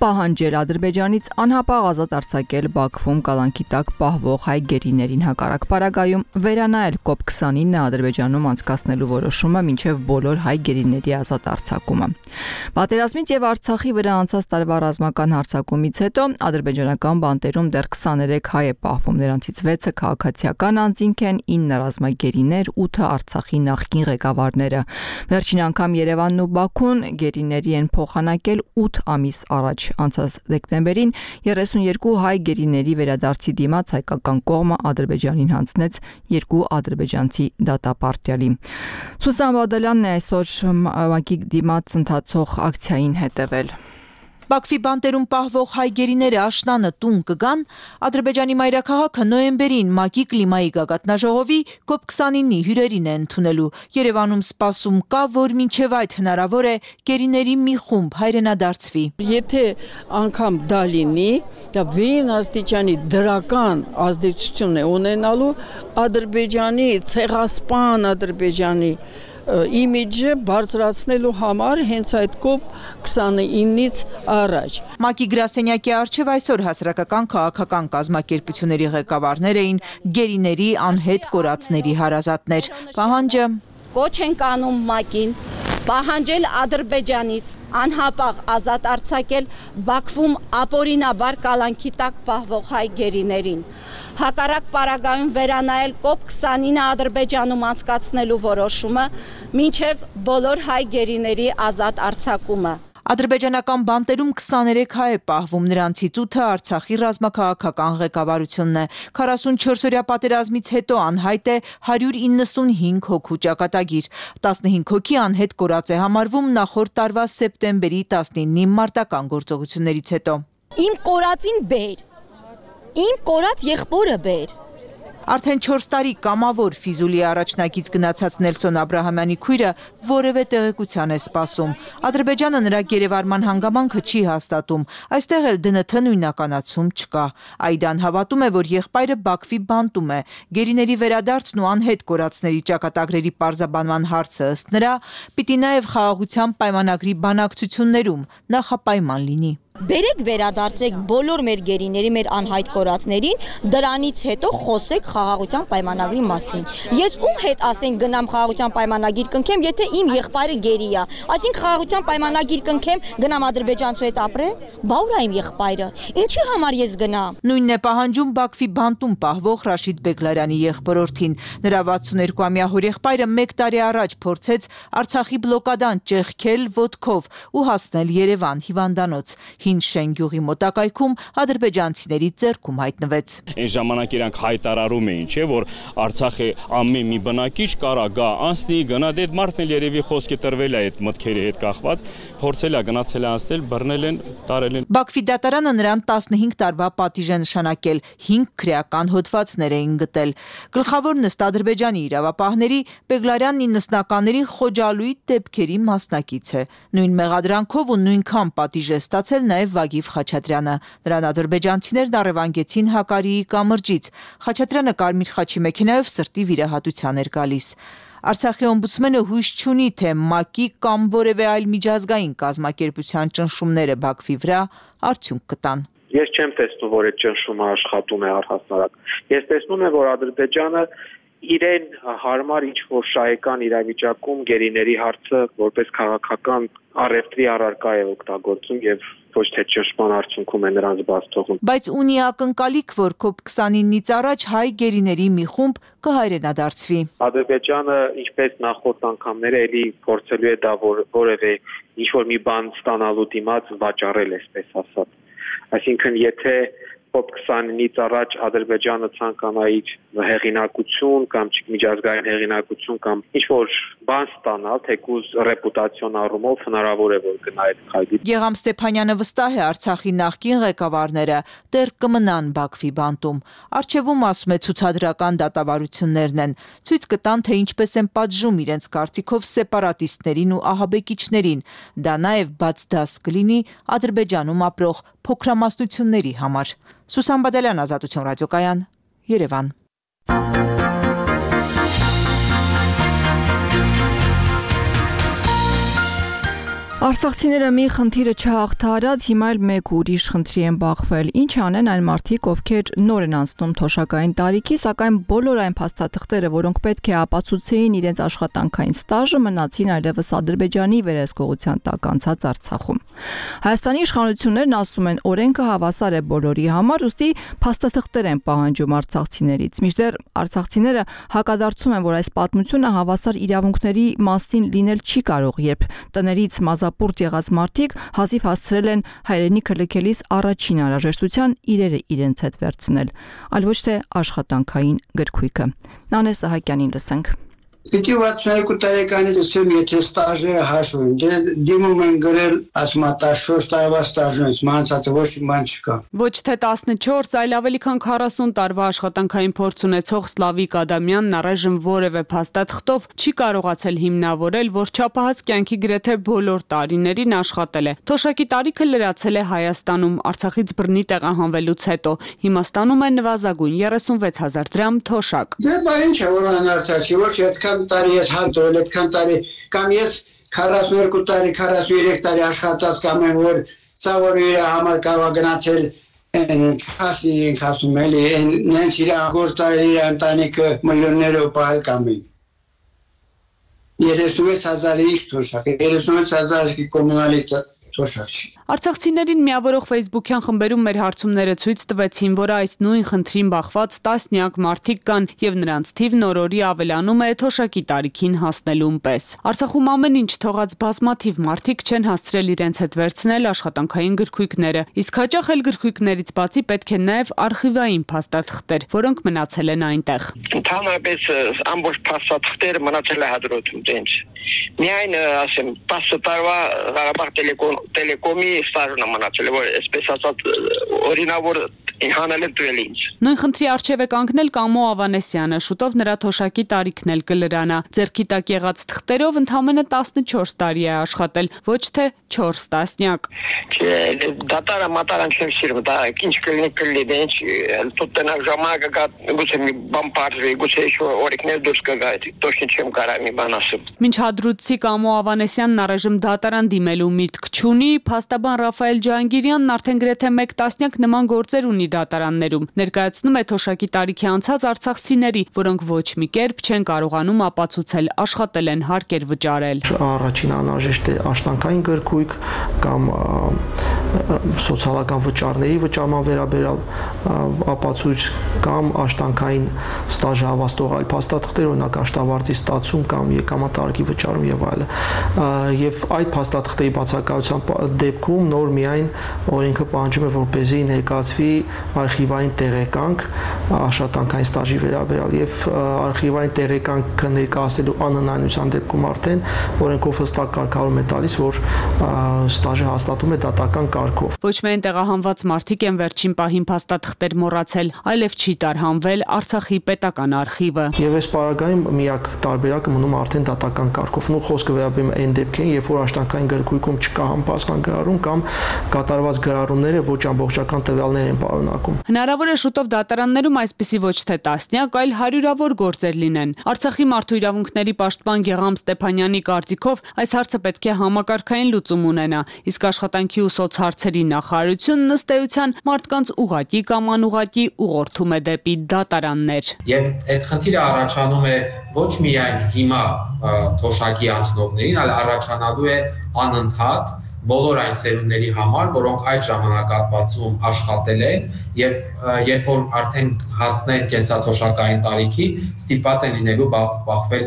պահանջել Ադրբեջանից անհապաղ ազատ արձակել Բաքվում կալանքի տակ պահվող հայ գերիներին, հակառակ պարագայում վերանայել կոպ քսանինը Ադրբեջանում անցկացնելու որոշումը մինչև բոլոր հայ գերիների ազատ արձակումը։ Պատերազմից եւ Արցախի վրա անցած տարվա ռազմական հարձակումից հետո ադրբեջանական բանտերում դեռ քսաներեք հայ է պահվում, նրանցից վեցը քաղաքացիական անձինք են, ինը ռազմագերիներ, ութը Արցախի նախկին ղեկավարները։ Վերջին անգամ Երևանն ու Բաքուն գերիների են փոխանակել ութ ամիս առաջ։ Անցած դեկտեմբերին երեսունյերկու հայ գերիների վերադարձի դիմաց հայկական կողմը Ադրբեջանին հանձնեց երկու ադրբեջանցի դատապարտյալի։ Սուսան Բադալյանն է այսօր ՄԱԿ-ի դիմաց ընթացող ակցիային հետևել։ Բաքվի բանտերում պահվող հայ գերիները աշնանը տուն կգան, Ադրբեջանի մայրաքաղաքը նոյեմբերին ՄԱԿ-ի կլիմայի գագաթնաժողովի կոպ քսանինի հյուրերին է ընդունելու։ Երևանում սպասում կա, որ մինչև այդ հնարավոր է գերիների մի խումբ հայրենադարձվի։ Եթե անգամ դա լինի, դա վերին աստիճանի դրական ազդեցություն է ունենալու Ադրբեջանի ցեղասպան Ադրբեջանի իմիջը բարձրացնելու համար հենց այդ կոպ քսանինից առաջ։ ՄԱԿ-ի գրասենյակի առջև այսօր հասարակական քաղաքական կազմակերպությունների ղեկավարներ էին գերիների անհետ կորածների հարազատներ։ Պահանջը կոչ ենք անում ՄԱԿ-ին պահանջել Ադրբեջանից անհապաղ ազատ արձակել Բաքվում ապօրինաբար կալանքի տակ պահվող հայ գերիներին։ Հակառակ պարագայում վերանայել կոպ քսանինը Ադրբեջանում անցկացնելու որոշումը մինչև բոլոր հայ գերիների ազատ արձակումը։ Ադրբեջանական բանտերում քսաներեք հայ է պահվում, նրանցից ութը Արցախի ռազմաքաղաքական ղեկավարությունն է։ քառասունչորսօրյա պատերազմից հետո անհայտ է հարյուր իննսունհինգ հոգու ճակատագիր։ տասնհինգ հոգի անհետ կորած է համարվում նախորդ տարվա սեպտեմբերի տասնինի մարտական գործողություններից հետո։ Իմ կորածին բեր, իմ կորած եղբորը բեր։ Արդեն չորս տարի կամավոր Ֆիզուլի առաջնակից գնացած Նելսոն Աբրահամյանի քույրը որևէ տեղեկության է սպասում։ Ադրբեջանը նրա գերեվարման հանգամանքը չի հաստատում, այստեղ էլ դն թ նույնականացում չկա։ Այդան հավատում է, որ եղբայրը Բաքվի բանտում է։ Գերիների վերադարձն ու անհետ կորածների ճակատագրերի պարզաբանման հարցը ըստ նրա պիտի նաև խաղաղության պայմանագրի բանակցություններում նախապայման լինի։ Բերեք վերադարձեք բոլոր մեր գերիների, մեր անհայտ կորածներին, դրանից հետո խոսեք խաղաղության պայմանագրի մասին։ Ես ում հետ ասենք գնամ խաղաղության պայմանագիր կնքեմ, եթե իմ եղբայրը գերի է, այսինքն խաղաղության պայմանագիր կնքեմ, գնամ ադրբեջանցու հետ ապրեմ, բա ուր է իմ եղբայրը։ Ինչի համար ես գնամ։ Նույնն է պահանջում Բաքվի բանտում պահվող Ռաշիդ Բեգլարյանի եղբորորդին։ Նրա վաթսուններկուամյա հորեղբայրը մեկ տարի առաջ փորձեց Արցախի բլոկադան ճեղքել ոտքով ու հասնել Երևան հիվանդանոց։ Հին Շենգյուղի մոտակայքում ադրբեջանցիների ձեռքում հայտնվեց։ Այն ժամանակ իրանք հայտարարում էին, չէ, որ Արցախի ամեն մի բնակիչ կարա գա անցնի, գնա դե մարդն էլ երևի խոսքի տրվել է այդ մտքերի հետ կախված, փորձել է գնացել է անցնել, բռնել են, տարել են։ Բաքվի դատարանը նրան տասնհինգ տարվա պատիժ է նշանակել, հինգ քրեական հոդվածներ էին գտել։ Գլխավոր նիստ Ադրբեջանի իրավապահների Բեգլարյանն իննսնականների խոջալույթ դեպքերի մասնակից է։ Նույն մեղադրանքով ու նույնքան պատիժ է ստացել նաև Վագիվ Խաչատրյանը։ Նրան ադրբեջանցիներն առևանգեցին Հակարիի կամրջից։ Խաչատրյանը կարմիր խաչի մեքենայով սրտի վիրահատության էր գալիս։ Արցախի օմբուդսմենը հույս չունի, թե ՄԱԿ-ի կամ որևէ այլ միջազգային կազմակերպության ճնշումները Բաքվի վրա արդյունք կտան։ Ես չեմ տեսնում, որ այդ ճնշումը աշխատում է առհասարակ։ Ես տեսնում եմ, որ Ադրբեջանը իրեն հարմար ինչ-որ շահեկան իրավիճակում գերիների հարցը որպես քաղաքական առևտրի առարկա է օգտագործում եւ ոչ թե ճնշման արդյունքում է նրանց բաց թողում։ Բայց ունի ակնկալիք, որ կոպ քսանինից առաջ հայ գերիների մի խումբ կհայրենադարձվի։ Ադրբեջանը, ինչպես նախորդ անգամները, էլի փորձելու է դա որևէ ինչ-որ մի բան ստանալու դիմաց վաճառել, այսպես ասած։ Այսինքն, եթե մոտ քսանինից առաջ Ադրբեջանը ցանկանա իր հեղինակություն կամ միջազգային հեղինակություն կամ ինչ-որ բան ստանալ, թեկուզ ռեպուտացիոն առումով հնարավոր է որ գնա այդ խաղի։ Գեգամ Ստեփանյանը վստահ է Արցախի նախկին ղեկավարները դեռ կմնան Բաքվի բանտում։ Արչևում ասում է ցուցադրական դատավարություններն են, ցույց կտան թե ինչպես են պատժում իրենց կարծիքով սեպարատիստներին ու ահաբեկիչներին։ Դա նաև բաց դաս կլինի Ադրբեջանում ապրող փոքրամասնությունների համար։ Սուսան Բադալյան, Ազատություն ռադիոկայան, Երևան։ Արցախցիները մի խնդիրը չհաղթահարած, հիմա էլ մեկ ուրիշ խնդրի են բախվել։ Ինչ անեն այն մարդիկ, ովքեր նոր են անցնում թոշակային տարիքի, սակայն բոլոր այն փաստաթղթերը, որոնք պետք է ապացուցեին իրենց աշխատանքային ստաժը, մնացին այլևս Ադրբեջանի վերահսկողության տակ անցած Արցախում։ Հայաստանի իշխանություններն ասում են, օրենքը հավասար է բոլորի համար, ուստի փաստաթղթեր են պահանջում արցախցիներից։ Մինչդեռ արցախցիները հակադարձում են, որ այս պատմությունը հավասար իրավունքների մասին լինել չի կարող, երբ տներից մազապուրտ եղած մարդիկ հազիվ հասցրել են հայրենիքը լքելիս առաջին անհրաժեշտության իրերը իրենց հետ վերցնել, այլ ոչ թե աշխատանքային գրքույկը։ Նանե Սահակյանին լսենք։ Պիտի վաթսունյոթ տարեկանից ասեմ, եթե ստաժը հաշվեմ, դե դիմում են գրել ասմատաշորս տարվա ստաժից, մանցածը ոչ մի բան չկա։ Ոչ թե տասնչորս, այլ ավելի քան քառասուն տարվա աշխատանքային փորձ ունեցող Սլավիկ Ադամյանն առայժմ որևէ փաստաթղթով չի կարողացել հիմնավորել, որ չափահաս կյանքի գրեթե բոլոր տարիներին աշխատել է։ Թոշակի տարիքը լրացել է Հայաստանում, Արցախից բռնի տեղահանվելուց հետո։ Հիմա ստանում է նվազագույն երեսունվեց հազար դրամ թոշակ։ Դե բա ինչ է, որ անարդաչի, ոչ այդքան տարի ես հանդուրել, այդքան տարի, կամ ես քառասունուերկու տարի, քառասունուերեք տարի աշխատած կամ եմ, որ ծավոր իր համար կարող գնացել չասնի ենք ասում էլի, նենց իր ագոր տարի իր ընտանիքը միլիոններով պահել կամ են։ երեսունվեց հազարի ինչ թոշակ, երեսունվեց հազարի կոմունալի թոշակ չի։ Արցախցիներին միավորող ֆեյսբուքյան խմբերում մեր հարցումները ցույց տվեցին, որ այս նույն խնդրին բախված տասնյակ մարդիկ կան եւ նրանց թիվն օրորի ավելանում է թոշակի տարիքին հասնելուն պես։ Արցախում ամեն ինչ թողած բազմաթիվ մարդիկ չեն հասցրել իրենց հետ վերցնել աշխատանքային գրքույկները, իսկ հաճախ էլ գրքույկներից բացի պետք է նաեւ արխիվային փաստաթղթեր, որոնք մնացել են այնտեղ։ Ընդհանրապես ամբողջ փաստաթղթերը մնացել է հադրութում տենց։ Միայն ասեմ տասը տարվա Ղարաբաղ տելեկոմի ստաժն մնացել է, որ այսպես ասած օրինավոր հանել է տվել ինձ։ Նույն խնդրի առջև է կանգնել Կամո Ավանեսյանը, շուտով նրա թոշակի տարիքն էլ կլրանա։ Ձեռքի տակ եղած թղթերով ընդամենը տասնչորս տարի է աշխատել, ոչ թե չորս տասնյակ։ Չէ, դատարը մատարան չեմ սիրում, դա ինչ կլինի կլինի, ինչ տոտնակ ժամանակը գա, գուցե մի բան պարզվի, գուցե ինչ օրենքներ դուրս կգա, точно չեմ կարող մի բան ասել։ Մինչ հադրութցի Կամո Ավանեսյանն առայժմ դատարան դիմելու միտք չունի, փաստաբան Ռաֆայել Ջահանգիրյանն արդեն գրեթե մեկ տասնյակ նման գործեր ունի դատարաններում, ներկայացնում է թոշակի տարիքի անցած արցախցիների, որոնք ոչ մի կերպ չեն կարողանում ապացուցել աշխատել են, հարկեր վճարել։ Առաջին անհրաժեշտ է աշխատանքային գրքույկ կամ սոցիալական վճարների վճարման վերաբերյալ ապացույց կամ աշխատանքային ստաժ հավաստող այլ փաստաթղթեր, օրինակ աշխատավարձի ստացում կամ եկամտարկի վճարում եւ այլն։ Եվ այդ փաստաթղթերի բացակայության դեպքում նոր միայն օրենքը պահանջում է, որպեսզի ներկայացվի արխիվային տեղեկանք աշխատանքային ստաժի վերաբերյալ եւ արխիվային տեղեկանքը ներկայացնելու անհնարինության դեպքում արդեն օրենքով հստակ կարգավորում է տալիս, որ ստաժը հաստատում է դատական կարգով։ Ոչ միայն տեղահանված մարդիկ են վերջին պահին փաստաթղթեր մոռացել, այլև չի տարհանվել Արցախի պետական արխիվը։ Եվ այս պարագայում միակ տարբերակը մնում արդեն դատական կարգով։ Նու խոսքը վերաբերում է այն դեպքերին, երբ որ աշխատանքային գրքույկում չկա համապատասխան գրառում կամ կատարված գրառումները ոչ ամբողջական տվյալներ են պարունակում։ Հնարավոր է շուտով դատարաններում այսպիսի ոչ թե տասնյակ, այլ հարյուրավոր գործեր լինեն։ Արցախի մարդու իրավունքների պաշտպան Գեգամ Ստեփանյանի կարծիքով այս հարցը պետք է համակարգային լուծում ունենա, իսկ աշխատանքի ու սոցհարցերի նախարարությունն ըստ էության մարդկանց ուղղակի կամ անուղղակի ուղղորդում է դեպի դատարաններ։ Եվ այդ խնդիրը առաջանում է ոչ միայն հիմա թոշակի անցնողներին, այլ առաջանալու է անընդհատ բոլոր այն սերունդների համար, որոնք այդ ժամանակահատվածում աշխատել են եւ երբ որ արդեն հասնեն կենսաթոշակային տարիքի, ստիպված են լինելու բախվել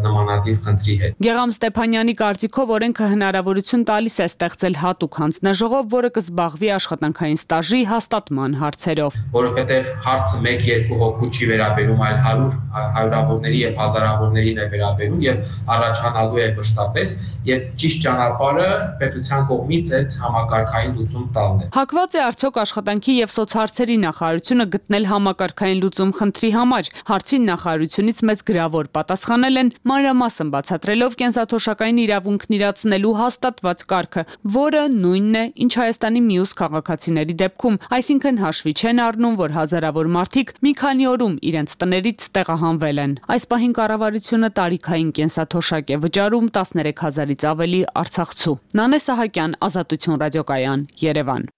նմանատիպ խնդրի հետ։ Գեղամ Ստեփանյանի կարծիքով օրենքը հնարավորություն տալիս է ստեղծել հատուկ հանձնաժողով, որը կզբաղվի աշխատանքային ստաժի հաստատման հարցերով, որովհետեւ հարցը մեկ-երկու հոգու չի վերաբերում, այլ հարյուր հարյուրավորների եւ հազարավորներին է վերաբերում եւ առաջանալու է մշտապես եւ ճիշտ ճանապարհը պետության կողմից այդ համակարգային լուծում տալն է։ Հակված է արդյոք աշխատանքի եւ սոցհարցերի նախարարությունը գտնել համակարգային լուծում խնդրի համար։ Հարցին նախարարությունից մեծ գրավոր պատասխանել են, մանրամասն բացատրելով կենսաթոշակային իրավունքն իրացնելու հաստատված կարգը, որը նույնն է, ինչ Հայաստանի մյուս քաղաքացիների դեպքում, այսինքն հաշվի չեն առնում, որ հազարավոր մարդիկ մի քանի օրում իրենց տներից տեղահանվել են։ Այս պահին կառավարությունը տարիքային կենսաթոշակ է վճարում տասներեք հազարից ավելի արցախցու։ Նանե Սահակյան, Ազատություն ռադիոկայան, Երևան։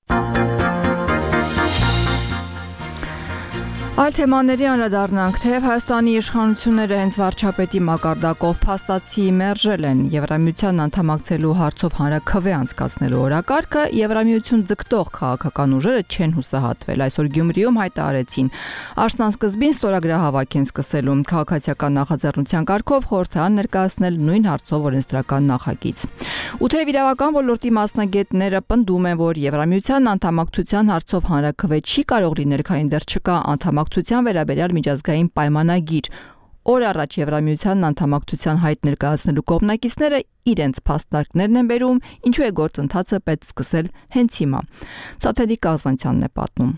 Այլ թեմաների անդրադառնանք, թեև Հայաստանի իշխանությունները հենց վարչապետի մակարդակով փաստացի մերժել են Եվրամիության անդամակցելու հարցով հանրաքվե անցկացնելու օրակարգը, Եվրամիություն ձգտող քաղաքական ուժերը չեն հուսահատվել։ Այսօր Գյումրիում հայտարարեցին, աշնանսկզբին ստորագրահավաք են սկսելու քաղաքացիական նախաձեռնության կարգով խորհրդարան ներկայացնել նույն հարցով օրենսդրական նախագիծ։ Ու թեև իրավական ոլորտի մասնագետները պնդում են, որ Եվրամիության անդամակցության հարցով հանրաքվե չի կարող լինել, քանի դեռ չկա անդամակցության վերաբերյալ միջազգային պայմանագիր։ Օր առաջ Եվրամիության անդամակցության հայտ ներկայացնելու կողմնակիցները իրենց փաստարկներն են բերում, ինչու է գործընթացը պետք սկսել հենց հիմա։ Սաթելի Կազվանցյանն է պատմում։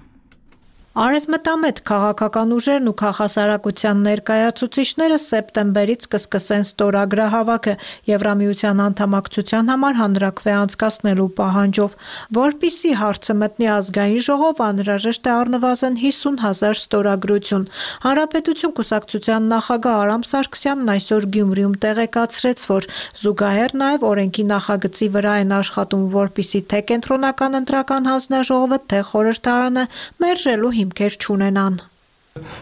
Արևմտամետ քաղաքական ուժերն ու քաղաքասարակության ներկայացուցիչները սեպտեմբերից կսկսեն ստորագրահավաքը Եվրամիության անդամակցության համար հանրաքվե անցկացնելու պահանջով, որպիսի հարցը մտնի ազգային ժողով, անհրաժեշտ է առնվազն հիսուն հազար ստորագրություն։ Հանրապետություն կուսակցության նախագահ Արամ Սարգսյանն այսօր Գյումրիում տեղեկացրեց, որ զուգահեռ նաև օրենքի նախագծի վրա են աշխատում, որպիսի թե կենտրոնական ընտրական հանձնաժողովը, թե խորհրդարանը մերժելու հիմքեր չունենան։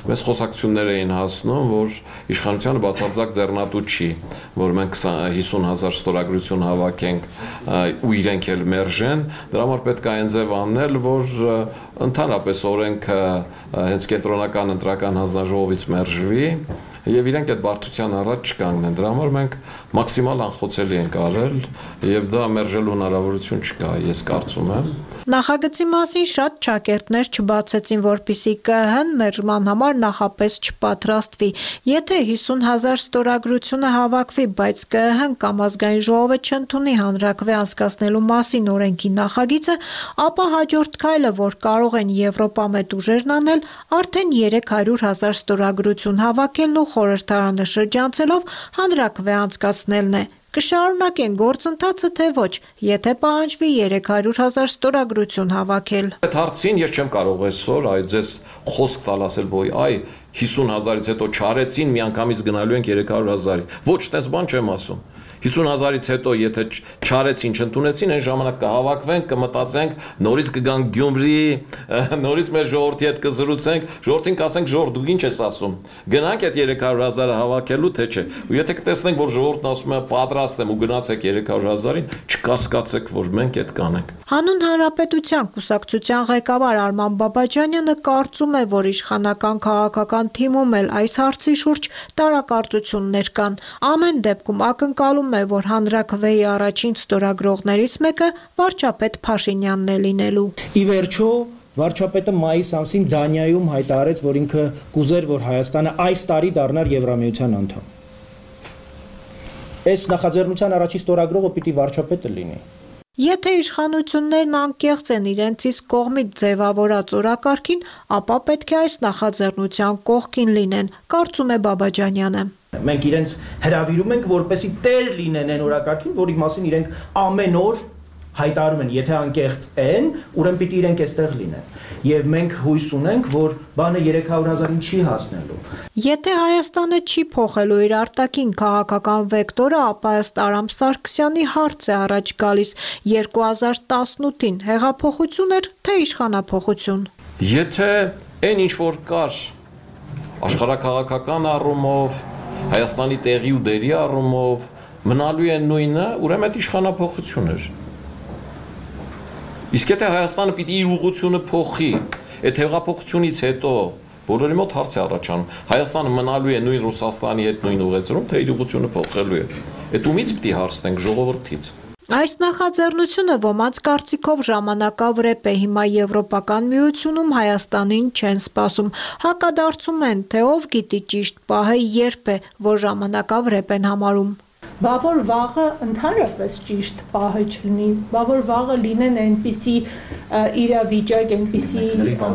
Մեզ խոսակցություններ էին հասնում, որ իշխանությանը բացարձակ ձեռնատու չի, որ մենք հիսուն հազար ստորագրություն հավաքենք ու իրենք էլ մերժեն, դրա համար պետք է այն ձև անել, որ ընդհանրապես օրենքը հենց կենտրոնական ընտրական հանձնաժողովից մերժվի եւ իրենք այդ բարդության առաջ չկանգնեն։ Դրա համար մենք մաքսիմալ անխոցելի ենք արել եւ դա մերժելու հնարավորություն չկա, ես կարծում եմ։ Նախագծի մասին շատ ճակերտներ չբացեցին, որպիսի ԿԸՀ-ն մերժման համար նախապես չպատրաստվի։ Եթե հիսուն հազար ստորագրությունը հավաքվի, բայց ԿԸՀ-ն կամ ազգային ժողովը չընդունի հանրաքվե անցկացնելու մասին օրենքի նախագիծը, ապա հաջորդ քայլը, որ կարող են եվրոպամետ ուժերն անել, արդեն երեք հարյուր հազար ստորագրություն հավաքելն ու խորհրդարանը շրջանցելով հանրաքվե անցկացնելն է։ Կշարունակեն գործընթացը, թե ոչ, եթե պահանջվի երեք հարյուր հազար ստորագրություն հավաքել։ Այդ հարցին ես չեմ կարող այսօր այ ձեզ խոսք տալ ասել, որ այ հիսուն հազարից հետո չարեցին, միանգամից գնալու ենք երեք հարյուր հազարի։ Ոչ, տես բան չեմ ասում։ հիսուն հազարից հետո եթե չարեցին, չընդունեցին, այն ժամանակ կհավաքվենք, կմտածենք, նորից կգանք Գյումրի, նորից մեր ժողովրդի հետ կզրուցենք, ժողովրդին կասենք, ժողովուրդ դուք ինչ ես ասում։ Գնանք այդ երեք հարյուր հազարը հավաքելու, թե չէ։ Ու եթե կտեսնենք, որ ժողովուրդն ասում է պատրաստ եմ ու գնացեք երեք հարյուր հազարին, չկասկածեք, որ մենք այդ կանենք։ Հանուն Հանրապետության կուսակցության ղեկավար Արման Բաբաջանյանը կարծում է, որ իշխանական քաղաքական թիմում էլ այս հարցի շուրջ տարակարծություններ կան։ Ամեն դեպքում ակնկալում է, որ հանրաքվեի առաջին ստորագրողներից մեկը վարչապետ Փաշինյանն է լինելու։ Ի վերջո վարչապետը մայիս ամսին Դանիայում հայտարարեց, որ ինքը կուզեր, որ Հայաստանը այս տարի դառնար Եվրամիության անդամ։ Այս նախաձեռնության առաջին ստորագրողը պիտի վարչապետը լինի։ Եթե իշխանություններն անկեղծ են իրենց իսկ կողմից ձևավորած օրակարգին, ապա պետք է այս նախաձեռնության կողքին լինեն, կարծում է Բաբաջանյանը։ Մենք իրենց հրավիրում ենք, որպեսզի տեր լինեն այն օրակարգին, որի մասին իրենք ամեն օր հայտարարում են, եթե անկեղծ են, ուրեմն պիտի իրենք այստեղ լինեն։ Եվ մենք հույս ունենք, որ բանը երեք հարյուր հազարին չի հասնելու։ Եթե Հայաստանը չի փոխելու իր արտաքին քաղաքական վեկտորը, ապա ըստ Արամ Սարգսյանի հարց է առաջ գալիս երկու հազար տասնութին հեղափոխություն էր, թե իշխանափոխություն։ Եթե այն ինչ որ կար աշխարհակաղակական առումով, Հայաստանի տեղի ու դերի առումով մնալու է նույնը, ուրեմն այդ իշխանափոխություն էր։ Իսկ եթե Հայաստանը պիտի իր ուղղությունը փոխի, այդ հեղափոխությունից հետո բոլորի մոտ հարց է առաջանում, Հայաստանը մնալու է նույն Ռուսաստանի հետ նույն ուղղությունում, թե իր ուղղությունը փոխելու է։ Այդ ումից պիտի հարցնենք ժողովրդից։ Այս նախաձեռնությունը ոմանց կարծիքով ժամանակավրեպ է, հիմա Եվրոպական միությունում Հայաստանին չեն սպասում, հակադարձում են, թե ով գիտի ճիշտ պահը երբ է, որ ժամանակավրեպ են համարում։ Բա որ վաղը ընդհանրապես ճիշտ պահը չլինի, բա որ վաղը լինեն այնպիսի իրավիճակ, այնպիսի,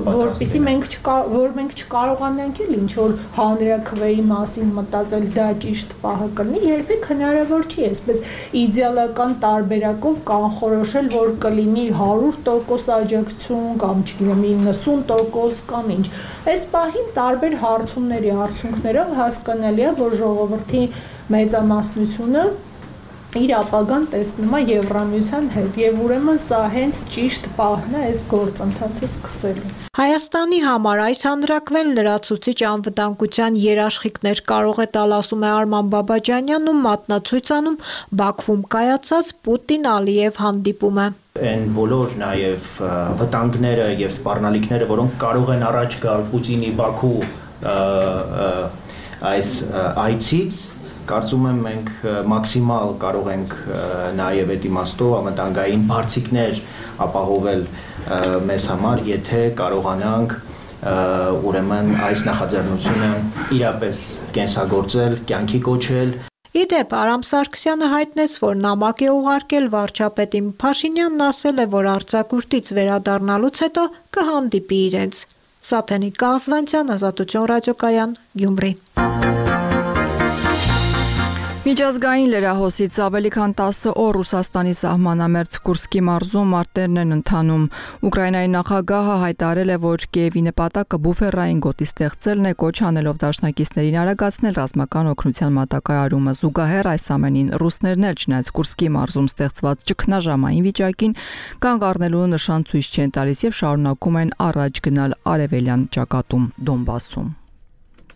որպիսի մենք որ մենք չկարողանանք էլ ինչ որ հանրաքվեի մասին մտածել, դա ճիշտ պահը կլինի, երբեք հնարավոր չի, այսպես իդեալական տարբերակով կանխորոշել, որ կլինի հարյուր տոկոս աջակցություն կամ չգիտեմ իննսուն տոկոս կամ ինչ։ Այս պահին տարբեր հարցումների արդյունքներով հասկանալի է, որ ժողովրդի մեծամասնությունը իր ապագան տեսնում է Եվրամիության հետ եւ ուրեմն սա հենց ճիշտ պահն է այս գործընթացը սկսելու։ Հայաստանի համար այս հանրակվեն լրացուցիչ անվտանգության երաշխիքներ կարող է տալ, ասում է Արման Բաբաջանյանն ու մատնացույց անում Բաքվում կայացած Պուտին-Ալիև հանդիպումը։ Այն բոլոր նաև վտանգները եւ սպառնալիքները, որոնք կարող են առաջ գալ Պուտինի Բաքու այս այցից, կարծում եմ մենք մաքսիմալ կարող ենք նաև այդ իմաստով անվտանգային բարձիկներ ապահովել մեզ համար, եթե կարողանանք ուրեմն այս նախաձեռնությունը իրապես կենսագործել, կյանքի կոչել։ Իդեպ Արամ Սարգսյանը հայտնեց, որ նամակ է ուղարկել վարչապետին, Փաշինյանն ասել է, որ արձակուրդից վերադառնալուց հետո կհանդիպի իրենց։ Սաթենիկ Կազվանցյան, Ազատություն ռադիոկայան, Գյումրի։ Միջազգային լրահոսից ավելի քան տասը օր Ռուսաստանի սահմանամերձ Կուրսկի մարզում մարտերն են ընթանում։ Ուկրաինայի նախագահը հայտարարել է, որ Կիևի նպատակը բուֆերային գոտի ստեղծելն է, կոչ անելով դաշնակիցներին արագացնել ռազմական օգնության մատակարարումը։ Զուգահեռ այս ամենին ռուսներն էլ չնայած Կուրսկի մարզում ստեղծված ճգնաժամային վիճակին կանգ առնելու նշան ցույց չեն տալիս եւ շարունակում են առաջ գնալ արևելյան ճակատում Դոնբասում։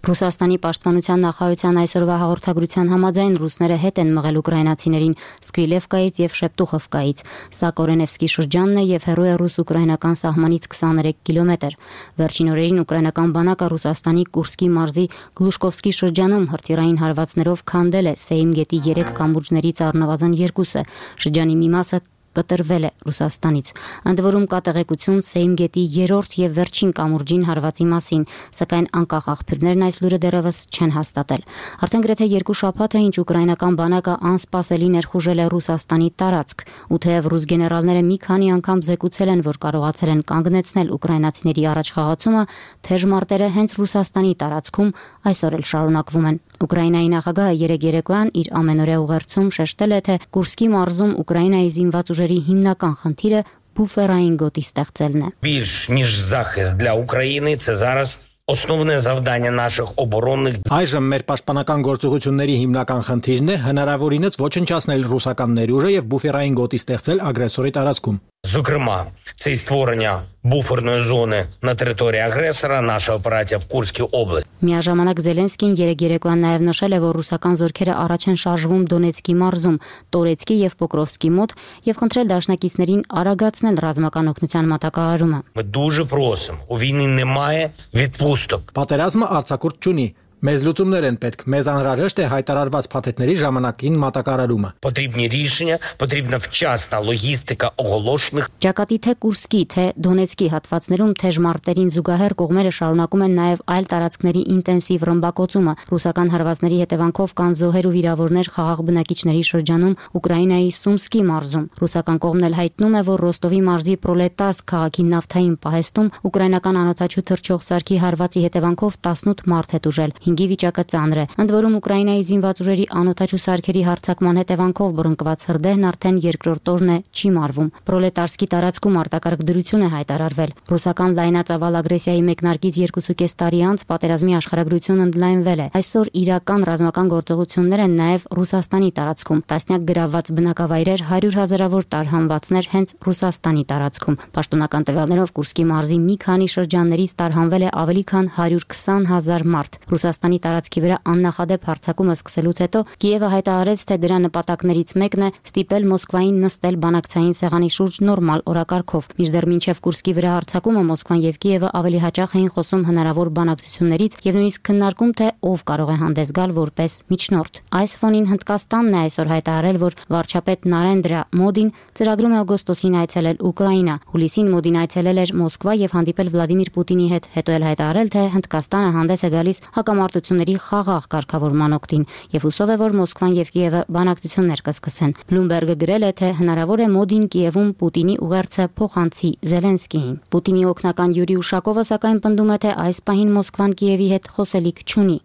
Ռուսաստանի պաշտպանության նախարարության այսօրվա հաղորդագրության համաձայն ռուսները հետ են մղել ուկրաինացիներին Սկրիլևկայից եւ Շեպտուխովկայից։ Սա Կորենևսկի շրջանն է եւ հեռու է ռուս-ուկրաինական սահմանից քսաներեք կիլոմետր։ Վերջին օրերին ուկրաինական բանակը Ռուսաստանի Կուրսկի մարզի Գլուշկովսկի շրջանում հրթիռային հարվածներով քանդել է Սեյմ գետի երեք կամուրջներից առնվազն երկուսը։ Շրջանի մի մասը կտրվել է Ռուսաստանից։ Ընդ որում կա տեղեկություն Սեյմ գետի երրորդ եւ վերջին կամուրջին հարվածի մասին, սակայն անկախ աղբյուրներն այս լուրը դեռևս չեն հաստատել։ Արդեն գրեթե երկու շաբաթ է, ինչ ուկրաինական բանակը անսպասելի ներխուժել է Ռուսաստանի տարածք, ու թեև ռուս գեներալները մի քանի անգամ զեկուցել են, որ կարողացել են կանգնեցնել ուկրաինացիների առաջխաղացումը, թեժ մարտերը հենց Ռուսաստանի տարածքում այսօր էլ շարունակվում են։ Ուկրաինայի նախագահը երեկ երեկոյան իր ամենօրյա ուղերձում շեշտել է, թե Կուրսկի մարզում Ուկրաինայի զինված ուժերի հիմնական խնդիրը բուֆերային գոտի ստեղծելն է։ Більш ніж захист для України, це зараз основне завдання наших оборонних. Այժմ մեր պաշտպանական գործողությունների հիմնական խնդիրն է հնարավորինս ոչնչացնել ռուսական ներուժը եւ բուֆերային գոտի ստեղծել ագրեսորի տարածքում։ Зокрема, це й створення буферної зони на території агресора, наша операція в Курській області. Միաժամանակ Զելենսկին երեկ երեկոյան նաև նշել է, որ ռուսական զորքերը առաջ են շարժվում Դոնեցկի մարզում, Տորեցկի եւ Պոկրովսկի մոտ եւ խնդրել դաշնակիցներին արագացնել ռազմական օգնության մատակարարումը։ Ми дуже просимо, у війні немає відпусток. Պատերազմը արձակուրդ չունի։ Մեզ լուծումներ են պետք, մեզ անհրաժեշտ է հայտարարված փաթեթների ժամանակին մատակարարումը։ Потрібні рішення, потрібна вчасна логістика оголошених. Ճակատի թե Կուրսկի, թե Դոնեցկի հատվածներում թեժ մարտերին զուգահեռ կողմերը շարունակում են նաև այլ տարածքների ինտենսիվ ռմբակոծումը։ Ռուսական հարվածների հետևանքով կան զոհեր ու վիրավորներ խաղաղ բնակիչների շրջանում Ուկրաինայի Սումսկի մարզում։ Ռուսական կողմն էլ հայտնում է, որ Ռոստովի մարզի Պրոլետաս քաղաքի նավթային պահեստում ուկրաինական անօթաչու թռչող սարքի հարվածի հետևանքով տասնութ մարդ է տուժել։ Հինգի վիճակը ծանր է։ Ընդ որում Ուկրաինայի զինված ուժերի անօթաչու սարքերի հարձակման հետևանքով բռնկված հրդեհն արդեն երկրորդ օրն է չի մարվում։ Պրոլետարսկի տարածքում արտակարգ դրություն է հայտարարվել։ Ռուսական լայնածավալ ագրեսիայի մեկնարկից երկուսուկես տարի անց պատերազմի աշխարհագրությունն ընդլայնվել է։ Այսօր իրական ռազմական գործողություններ են նաև Ռուսաստանի տարածքում։ Տասնյակ գրավված բնակավայրեր, հարյուր հազարավոր տարհանվածներ հենց Ռուսաստանի տարածքում։ Պաշտոնական տվյալներով Կուրսկի մարզի մի քանի շրջաններից տարհանվել է ավելի քան հարյուր քսան հազար մարդ։ Ռուսաստանի տարածքի վրա աննախադեպ հարձակումը սկսելուց հետո Կիևը հայտարարեց, թե դրա նպատակներից մեկն է ստիպել Մոսկվային նստել բանակցային սեղանի շուրջ նորմալ օրակարգով։ Մինչդեռ մինչև Կուրսկի վրա հարձակումը Մոսկվան եւ Կիևը ավելի հաճախ էին խոսում հնարավոր բանակցություններից եւ նույնիսկ քննարկում, թե ով կարող է հանդես գալ որպես միջնորդ։ Այս ֆոնին Հնդկաստանն է այսօր հայտարարել, որ վարչապետ Նարենդրա Մոդին ծրագրում է օգոստոսին այցելել Ուկրաինա։ Հուլիսին Մոդին այցելել էր Մոսկվա եւ հանդիպել Վլադիմիր Պուտինի հետ, հետո էլ հայտարարել, թե Հնդկաստանը հանդես է գալիս հակամարտությունների խաղաղ կարգավորման օգտին եւ հուսով է, որ Մոսկվան եւ Կիևը բանակցություններ կսկսեն։ Բլումբերգը գրել է, թե հնարավոր է Մոդին Կիևում Պուտինի ուղերձը փոխանցի Զելենսկիին։ Պուտինի օգնական Յուրի Ուշակովը սակայն պնդում է, թե այս պահին Մոսկվան Կիևի հետ խոսելիք չունի։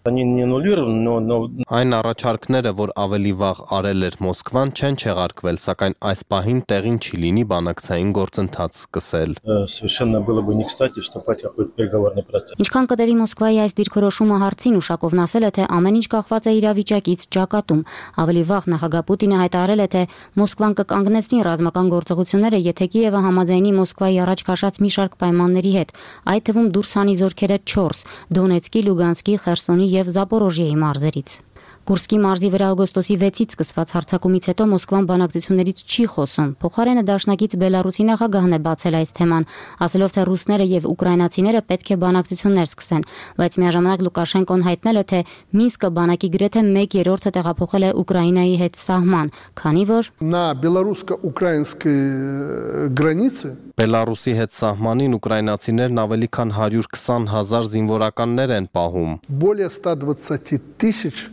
Այն առաջարկները, որ ավելի վաղ արել էր Մոսկվան, չեն չեղարկվել, սակայն այս պահին տեղին չի լինի բանակցային գործընթաց սկսել։ Ինչքան կտևի Մոսկվայի այս դիրքորոշումը հարցին, Ուշակովն ասել է, թե ամեն ինչ կախված է իրավիճակից ճակատում։ Ավելի վաղ նախագահ Պուտինը հայտարարել է, թե Մոսկվան կկանգնեցնի ռազմական գործողությունները, եթե Կիևը համաձայնի Մոսկվայի առաջ քաշած մի շարք պայմանների հետ, այդ թվում դուրս հանի զորքերը չորս՝ Դոնեցկի, Լուգանսկի, Խերսոնի եւ Զապորոժիեի մարզերից։ Կուրսկի մարզի վրա օգոստոսի վեցից սկսված հարձակումից հետո Մոսկվան բանակցություններից չի խոսում։ Փոխարենը դաշնակից Բելարուսի նախագահն է բացել այս թեման, ասելով, թե ռուսները եւ ուկրաինացիները պետք է բանակցություններ սկսեն, բայց միաժամանակ Լուկաշենկոն հայտնել է, թե Մինսկը բանակի գրեթե մեկ երրորդը տեղափոխել է Ուկրաինայի հետ սահման, քանի որ на белорусско-украинской границе Բելարուսի հետ սահմանին ուկրաինացիներն ավելի քան հարյուր քսան հազար զինվորականներ են պահում։ Более ста двадцати тысяч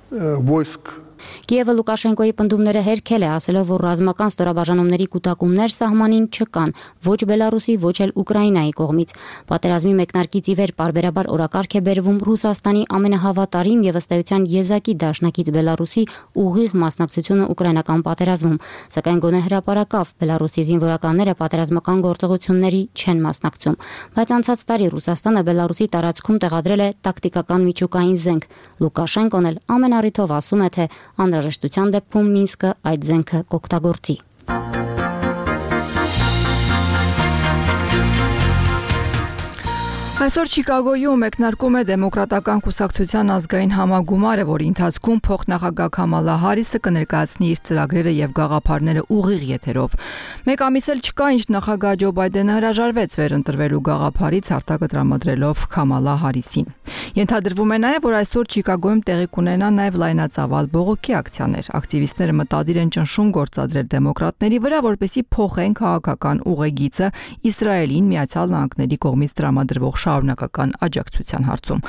войск Կիևը Լուկաշենկոյի պնդումները հերքել է, ասելով, որ ռազմական ստորաբաժանումների կուտակումներ սահմանին չկան, ոչ Բելարուսի, ոչ էլ Ուկրաինայի կողմից։ Պատերազմի մեկնարկից ի վեր պարբերաբար օրակարգ է բերվում Ռուսաստանի ամենահավատարիմ եւ ըստ էության եզակի դաշնակից Բելարուսի ուղիղ մասնակցությունը ուկրաինական պատերազմում, սակայն գոնե հրապարակավ Բելարուսի զինվորականները պատերազմական գործողությունների չեն մասնակցում։ Բայց անցած տարի Ռուսաստանը Բելարուսի տարածքում տեղադրել է տակտիկական միջուկային զենք։ Լուկաշենկոն էլ ամեն առիթով ասում է, թե անհրաժեշտության դեպքում Մինսկը այդ զենքը կօգտագործի։ Այսօր Չիկագոյում մեկնարկում է Դեմոկրատական կուսակցության ազգային համագումարը, որի ընթացքում փոխնախագահ Քամալա Հարիսը կներկայացնի իր ծրագրերը եւ գաղափարները ուղիղ եթերով։ Մեկ ամիս էլ չկա, ինչ նախագահ Ջո Բայդենը հրաժարվեց վերընտրվելու գաղափարից արտակը տրամադրելով Քամալա Հարիսին։ Ենթադրվում է նաեւ, որ այսօր Չիկագոյում տեղի կունենա նաեւ լայնածավալ բողոքի ակցիաներ։ Ակտիվիստները մտադիր են ճնշում գործադրել դեմոկրատների վրա, որպեսզի փոխեն քաղաքական ուղեգիծը Իսրայելին Միացյալ Նահանգների կողմից տրամադրվող շարունակական աջակցության հարցում։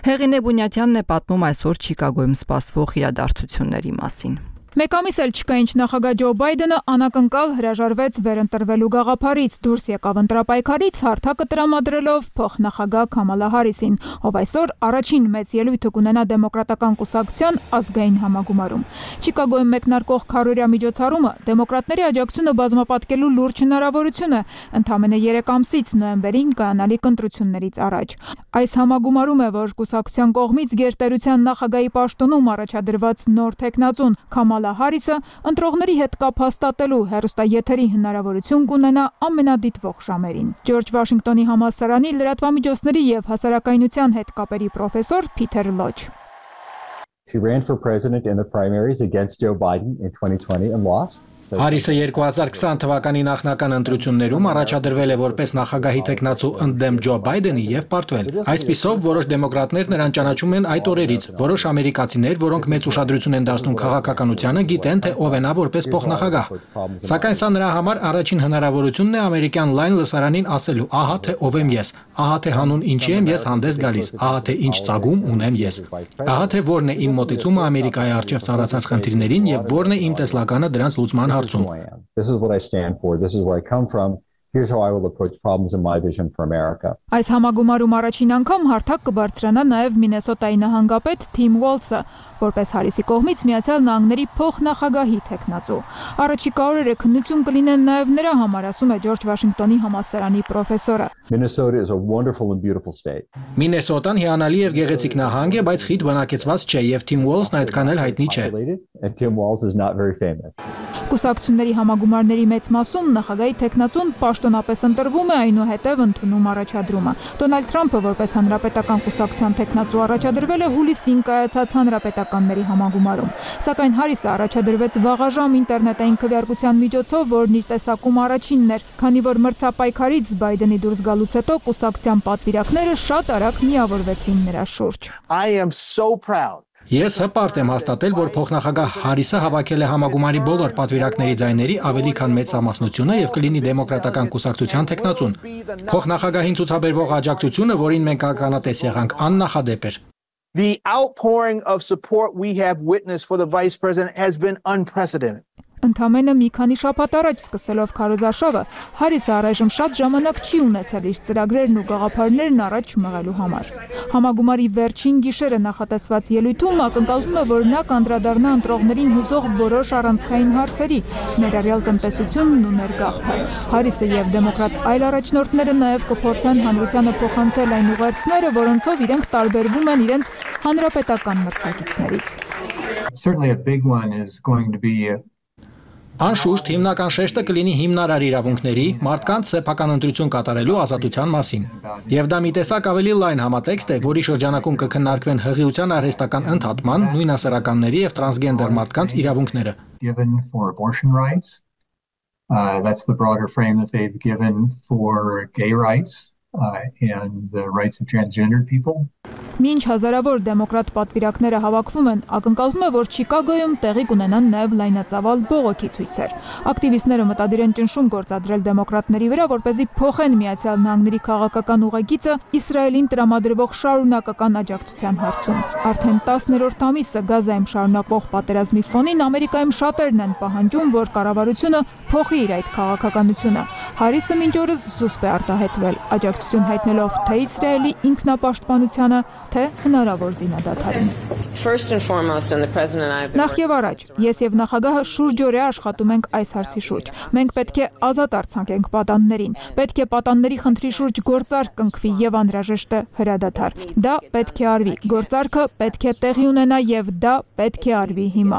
Հեղինե Բունյատյանն է պատմում այսօր Չիկագոյում սպասվող իրադարձությունների մասին։ Մեկ ամիս էլ չկա, ինչ նախագահ Ջո Բայդենը անակնկալ հրաժարվեց վերընտրվելու գաղափարից, դուրս եկավ ընտրապայքարից հարթակը տրամադրելով փոխնախագահ Քամալա Հարիսին, ով այսօր առաջին մեծ ելույթը կունենա Դեմոկրատական կուսակցության ազգային համագումարում։ Չիկագոյում մեկնարկող քառօրյա միջոցառումը դեմոկրատների աջակցությունը բազմապատկելու լուրջ հնարավորություն է, ընդամենը երեք ամսից նոյեմբերին կայանալիք ընտրություններից առաջ։ Այս համագումարում է, որ կուսակցության կողմից գերտերության նախագահի պաշտոնում առաջադրված նոր թեկնածուն Քամալա Հարիսը ընտրողների հետ կապ հաստատելու հեռուստաեթերի հնարավորություն կունենա ամենադիտվող ժամերին։ Ջորջ Վաշինգտոնի համալսարանի լրատվամիջոցների եւ հասարակայնության հետ կապերի պրոֆեսոր Փիթեր Լոչ. She ran for president in the primaries against Joe Biden in twenty twenty and lost. Հարիսը երկու հազար քսան թվականի նախնական ընտրություններում առաջադրվել է որպես նախագահի տեխնացու ընդդեմ Ջո Բայդենի եւ պարտվել։ Այսպիսով որոշ դեմոկրատներ նրան ճանաչում են այդ օրերից, որոշ ամերիկացիներ, որոնք մեծ ուշադրություն են դարձնում քաղաքականությանը, գիտեն, թե ով է նա որպես փոխնախագահ։ Սակայն սա նրա համար առաջին հնարավորությունն է ամերիկյան լայն լսարանին ասելու, ահա թե ով եմ ես, ահա թե հանուն ինչի եմ ես հանդես գալիս, ահա թե ինչ ծագում ունեմ ես, ահա թե որն է իմ մոտեցումը Ամերիկայի առջև ծառացած խնդիրներին եւ որն է իմ տեսլականը դրանց լուծման This is what I stand for. This is where I come from. Here's how I will approach problems in my vision for America. Այս համագումարում առաջին անգամ հարթակ կբարձրանա նաև Մինեսոտայի նահանգապետ Թիմ Ուոլսը, որպես Հարիսի կողմից Միացյալ Նահանգների փոխնախագահի տեխնացու։ Առաջիկա օրերը քննություն կլինեն նաև նրա համար, ասում է Ջորջ Վաշինգտոնի համալսարանի պրոֆեսորը։ Minnesota is a wonderful and beautiful state. Մինեսոտան հիանալի եւ գեղեցիկ նահանգ է, բայց խիտ բնակեցված չէ եւ Թիմ Ուոլսն այդքան էլ հայտնի չէ։ And Tim Walz is not very famous. Կուսակցությունների համագումարների մեծ մասում նախագահի տեխնացուն պաշտոնապես ընտրվում է, այնուհետև ընդունում առաջադրումը։ Դոնալդ Թրամփը որպես հանրապետական կուսակցության տեխնացու առաջադրվել է հուլիսին կայացած հանրապետականների համագումարում։ Սակայն Հարիսը առաջադրվեց վաղաժամ ինտերնետային քվեարկության միջոցով, որն իր տեսակում առաջինն էր, քանի որ մրցապայքարից Բայդենի դուրս գալուց հետո կուսակցության պատվիրակները շատ արագ միավորվեցին նրա շուրջ։ Ես հպարտ եմ հաստատել, որ փոխնախագահ Հարիսը հավաքել է համագումարի բոլոր պատվիրակների ձայների ավելի քան մեծ ամասնությունը եւ կլինի դեմոկրատական կուսակցության տեխնացուն։ Փոխնախագահին ցուցաբերվող աջակցությունը, որին մենք ականատես եղանք, աննախադեպ էր։ The outpouring of support we have witnessed for the vice president has been unprecedented. Ընդամենը մի քանի շաբաթ առաջ սկսելով քարոզարշավը, Հարիսը առայժմ շատ ժամանակ չի ունեցել իր ծրագրերն ու գաղափարներն առաջ մղելու համար։ Համագումարի վերջին գիշերը նախատեսված ելույթում ակնկալվում է, որ նա կանդրադառնա ընտրողներին հուզող որոշ առանցքային հարցերի, ներառյալ տնտեսությունն ու ներգաղթը։ Հարիսը եւ դեմոկրատ այլ առաջնորդները նաեւ կփորձեն հանրությանը փոխանցել այն ուղերձները, որոնցով իրենք տարբերվում են իրենց հանրապետական մրցակիցներից։ Certainly a big one is going to be Անշուշտ հիմնական շեշտը կլինի հիմնարար իրավունքների, մարդկանց սեփական ընտրություն կատարելու ազատության մասին։ Եվ դա մի տեսակ ավելի լայն համատեքստ է, որի շրջանակում կքննարկվեն հղիության արհեստական ընդհատման, նույնասեռականների եւ տրանսգենդեր մարդկանց իրավունքները։ Given for abortion rights. Uh, that's the broader frame that they've given for gay rights uh, and the rights of transgender people. Մինչ հազարավոր դեմոկրատ պատվիրակները հավաքվում են, ակնկալվում է, որ Չիկագոյում տեղի կունենան նաև լայնածավալ բողոքի ցույցեր։ Ակտիվիստները մտադիր են ճնշում գործադրել դեմոկրատների վրա, որպեսզի փոխեն Միացյալ Նահանգների քաղաքական ուղեգիծը Իսրայելին տրամադրվող շարունակական աջակցության հարցում։ Արդեն տասներորդ ամիսը Գազայում շարունակվող պատերազմի ֆոնին Ամերիկայում շատերն են պահանջում, որ կառավարությունը փոխի իր այդ քաղաքականությունը։ Հարիսը մինչ օրս զուսպ է արտահայտվել, աջակցություն հայտնելով թե Իսրայելի ինքնապաշտպանությանը, թե հնարավոր զինադադարին։ Նախ եւ առաջ, ես եւ նախագահը շուրջօրյա աշխատում ենք այս հարցի շուրջ։ Մենք պետք է ազատ արձանենք պատաններին, պետք է պատանների խնդրի շուրջ գործարք կնքվի եւ անհրաժեշտ է հրադադար։ Դա պետք է արվի, գործարքը պետք է տեղի ունենա եւ դա պետք է արվի հիմա։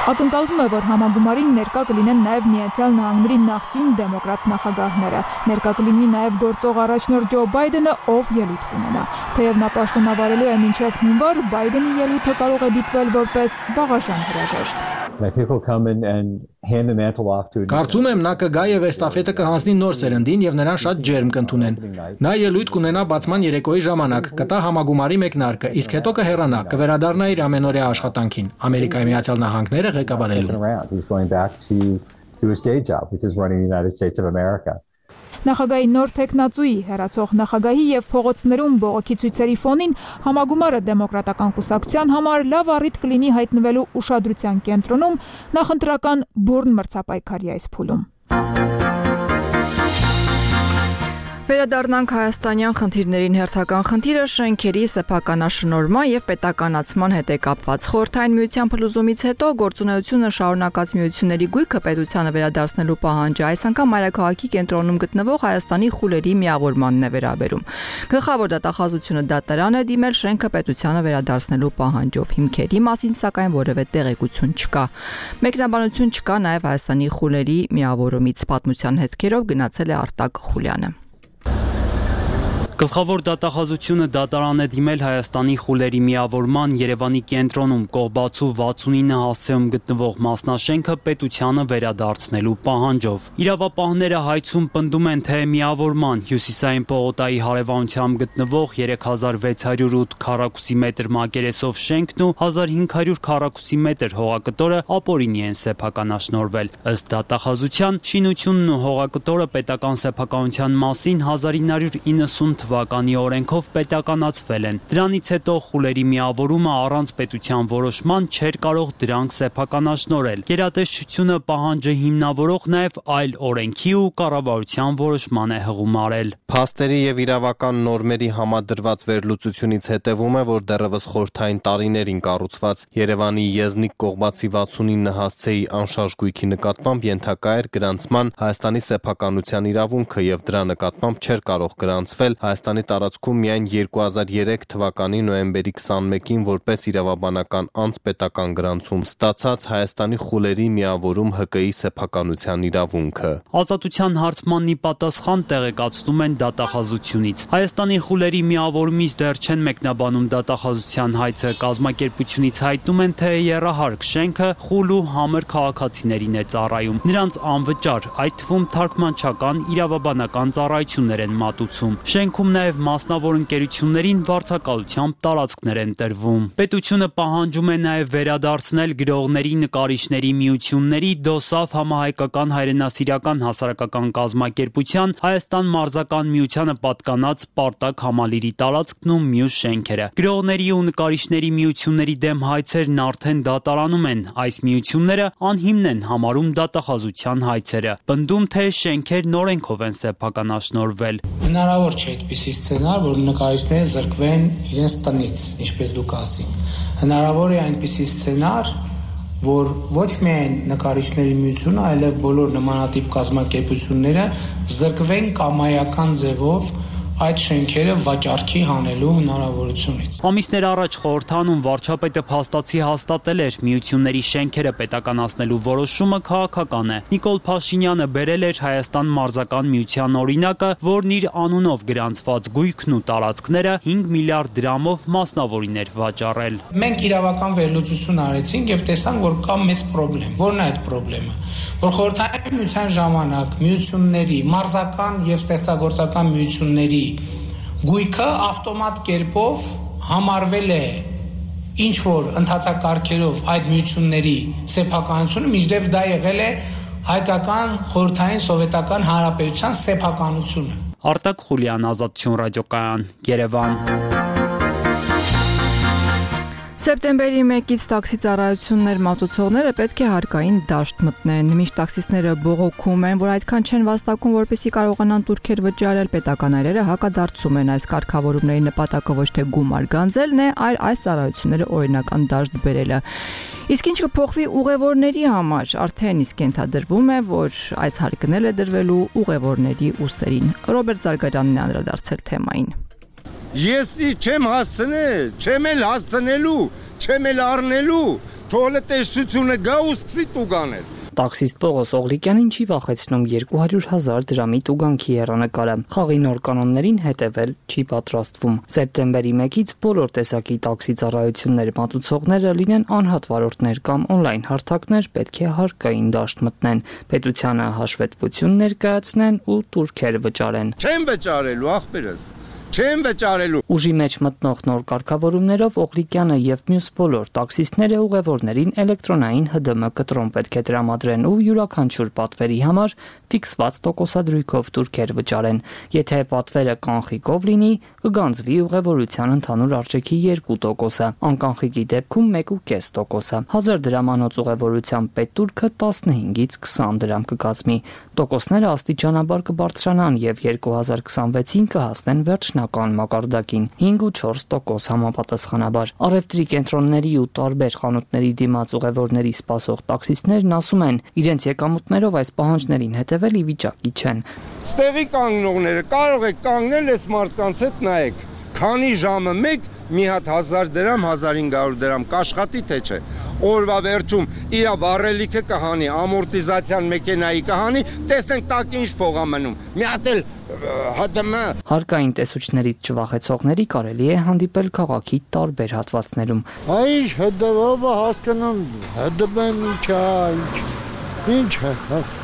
Ակնկալվում է, որ համագումարին ներկա կլինեն նաև Միացյալ Նահանգների նախկին դեմոկրատ նախագահները։ Ներկա կլինի նաև գործող առաջնորդ Ջո Բայդենը, ով ելույթ կունենա։ Թեև նա պաշտոնավարելու է մինչև հունվար, Բայդենի ելույթը կարող է դիտվել որպես վաղաժամ հրաժեշտ։ Կարծում եմ նա կգա եւ էստաֆետը կհանձնի նոր սերնդին եւ նրան շատ ջերմ կընդունեն։ Նա ելույթ կունենա բացման երեկոյի ժամանակ, կտա համագումարի մեկնարկը, իսկ հետո կհեռանա, կվերադառնա իր ամենօրյա աշխատանքին, Ամերիկայի Միացյալ Նահանգները ղեկավարելու։ Նախագահի նոր տեխնացուի, հեռացող նախագահի եւ փողոցներում բողոքի ցույցերի ֆոնին համագումարը դեմոկրատական կուսակցության համար լավ առիթ կլինի հայտնվելու ուշադրության կենտրոնում նախընտրական բուրն մրցապայքարի այս փուլում։ Վերադառնանք հայաստանյան խնդիրներին հերթական խնդիրը շենքերի սեփականաշնորհման եւ պետականացման հետ է կապված։ Խորհրդային միության փլուզումից հետո գործունեությունը շարունակած միությունների գույքը պետությանը վերադարձնելու պահանջը այս անգամ մայրաքաղաքի կենտրոնում գտնվող Հայաստանի խուլերի միավորմանն է վերաբերում։ Գլխավոր դատախազությունը դատարան է դիմել շենքը պետությանը վերադարձնելու պահանջով։ Հիմքերի մասին սակայն որևէ տեղեկություն չկա։ Մեկնաբանություն չկա նաեւ Հայաստանի խուլերի միավորումից։ Պատմության հետքերով գնացել է Արտակ Խուլյանը։ Գլխավոր դատախազությունը դատարան է դիմել Հայաստանի խուլերի միավորման Երևանի կենտրոնում Կողբացու վաթսունինը հասցեում գտնվող մասնաշենքը պետությանը վերադարձնելու պահանջով։ Իրավապահները հայցում պնդում են, թե միավորման հյուսիսային պողոտայի հարևանությամբ գտնվող երեք հազար վեց հարյուր ութ քառակուսի մետր մակերեսով շենքն ու հազար հինգ հարյուր քառակուսի մետր հողակտորը ապօրինի են սեփականաշնորհվել։ Ըստ դատախազության, շինությունն ու հողակտորը պետական սեփականության մասին հազար ինը հարյուր իննսուն թվականի օրենքով պետականացվել են։ Դրանից հետո խուլերի միավորումը առանց պետության որոշման չէր կարող դրանք սեփականաշնորհել։ Գերատեսչությունը պահանջը հիմնավորող նաև այլ օրենքի ու կառավարության որոշման է հղում արել։ Փաստերի եւ իրավական նորմերի համադրված վերլուծությունից հետևում է, որ դեռևս խորհրդային տարիներին կառուցված Երևանի Եզնիկ Կողբացի վաթսունինը հասցեի անշարժ գույքի նկատմամբ ենթակա էր գրանցման Հայաստանի սեփականության իրավունքը եւ դրա նկատմամբ չէր կարող գրանցվել Հայաստանի տարածքում միայն երկու հազար երեք թվականի նոյեմբերի քսանմեկին որպես իրավաբանական անձպետական գրանցում ստացած Հայաստանի խուլերի միավորում Հ Կ-ի սեփականության իրավունքը։ Ազատության հարցմանն ի պատասխան տեղեկացնում են դատախազությունից։ Հայաստանի խուլերի միավորումից դեռ չեն մեկնաբանում դատախազության հայցը, կազմակերպությունից հայտնում են, թե եռահարկ շենքը խուլ ու համր քաղաքացիներին է ծառայում։ Նրանց անվճար, այդ թվում թարգմանչական, իրավաբանական ծառայություններ են մատուցում։ Շենքում նաև մասնավոր ընկերություններին վարձակալությամբ տարածքներ են տրվում։ Պետությունը պահանջում է նաև վերադարձնել գրողների, նկարիչների միությունների դոսավ համահայկական հայրենասիրական հասարակական կազմակերպության Հայաստան մարզական միությանը պատկանած Սպարտակ համալիրի տարածքն ու մյուս շենքերը։ Գրողների ու նկարիչների միությունների դեմ հայցերն արդեն դատարանում են։ Այս միությունները անհիմն են համարում դատախազության հայցերը, պնդում, թե շենքերն օրենքով են սեփականաշնորհվել։ Հնարավոր չէ այդպիսի սցենար, որ նկարիչները զրկվեն իրենց տնից, ինչպես դուք ասին։ Հնարավոր է այնպիսի սցենար, որ ոչ միայն նկարիչների միությունը, այլև բոլոր նմանատիպ կազմակերպությունները զրկվեն կամայական ձևով այդ շենքերը վաճառքի հանելու հնարավորությունից։ Ամիսներ առաջ խորհրդանում վարչապետը փաստացի հաստատել էր միությունների շենքերը պետականացնելու որոշումը քաղաքական է։ Նիկոլ Փաշինյանը բերել էր Հայաստան մարզական միության օրինակը, որն իր անունով գրանցված գույքն ու տարածքները հինգ միլիարդ դրամով մասնավորին էր վաճառել։ Մենք իրավական վերլուծություն արեցինք եւ տեսանք, որ կա մեծ խնդրեմ։ Որն է այդ խնդրեմը։ Որ խորհրդային միության ժամանակ միությունների, մարզական եւ ստեղծագործական միությունների գույքը ավտոմատ կերպով համարվել է ինչ որ ընթացակարգերով այդ միությունների սեփականությունը, մինչդեռ դա եղել է հայկական խորհրդային սովետական հանրապետության սեփականությունը։ Արտակ Խուլյան, Ազատություն ռադիոկայան, Երևան։ Սեպտեմբերի մեկից տաքսի ծառայություններ մատուցողները պետք է հարկային դաշտ մտնեն։ Միշտ տաքսիստները բողոքում են, որ այդքան չեն վաստակում, որպեսզի կարողանան տուրքեր վճարել, պետական այրերը հակադարձում են։ Այս կարգավորումների նպատակը ոչ թե գումար գանձելն է, այլ այս ծառայությունները օրինական դաշտ բերելը։ Իսկ ինչ կփոխվի ուղևորների համար, արդեն իսկ ենթադրվում է, որ այս հարկն է դրվելու ուղևորների ուսերին։ Ռոբերտ Զարգարյանն է անդրադարձել թեմային։ Ես չեմ հասցնել, չեմ էլ հասցնելու, չեմ էլ առնելու, թողը տեսությունը գա ու սկսի տուգանել։ Տաքսիստ Պողոս Օղլիկյանին չի վախեցնում երկու հարյուր հազար դրամի տուգանքի հեռանկարը։ Խաղի նոր կանոններին հետևել չի պատրաստվում։ Սեպտեմբերի մեկից բոլոր տեսակի տաքսի ծառայություններ մատուցողները լինեն անհատ վարորդներ կամ օնլայն հարթակներ, պետք է հարկային դաշտ մտնեն, պետությանը հաշվետվություն ներկայացնեն ու տուրքեր վճարեն։ Չեմ վճարելու, ախպերս։ Չեմ վճարելու։ Ուժի մեջ մտնող նոր կարգավորումներով Օղլիկյանը եւ մյուս բոլոր տաքսիստները ուղևորներին էլեկտրոնային Հ Դը Մ կտրոն պետք է տրամադրեն ու յուրաքանչյուր պատվերի համար ֆիքսված տոկոսադրույքով տուրքեր վճարեն։ Եթե պատվերը կանխիկով լինի, կգանձվի ուղևորության ընդհանուր արժեքի երկու տոկոսը, անկանխիկի դեպքում մեկ ու կես տոկոսը։ հազար դրամանոց ուղևորության պետտուրքը տասնհինգից քսան դրամ կկազմի։ Տոկոսները աստիճանաբար կբարձրանան եւ երկու հազար քսանվեցին կհասնեն վերջնական մակարդակին հինգ ու չորս տոկոս համապատասխանաբար։ Առևտրի կենտրոնների ու տարբեր խանութների դիմաց ուղևորների սպասող տաքսիստներն ասում են, իրենց եկամուտներով այս պահանջներին հետևել ի վիճակի չեն։ Ստեղի կանգնողները կարող եք կանգնել այս մարդկանց հետ նայեք, քանի ժամը մեկ մի հատ հազար դրամ, հազար հինգ հարյուր դրամ կաշխատի թե չէ։ Օրվա վերջում իր վառելիքը կհանի, ամորտիզացիան մեքենայի կհանի, տեսնենք տակ ինչ փող է մնում։ Մի հատ էլ Հ Դը Մ Հարկային տեսուչներից չվախեցողների կարելի է հանդիպել քաղաքի տարբեր հատվածներում։ Այ Հ Դը Մ-ը հասկանում, Հ Դը Մ-ն ինչ է, ինչ Ինչ է,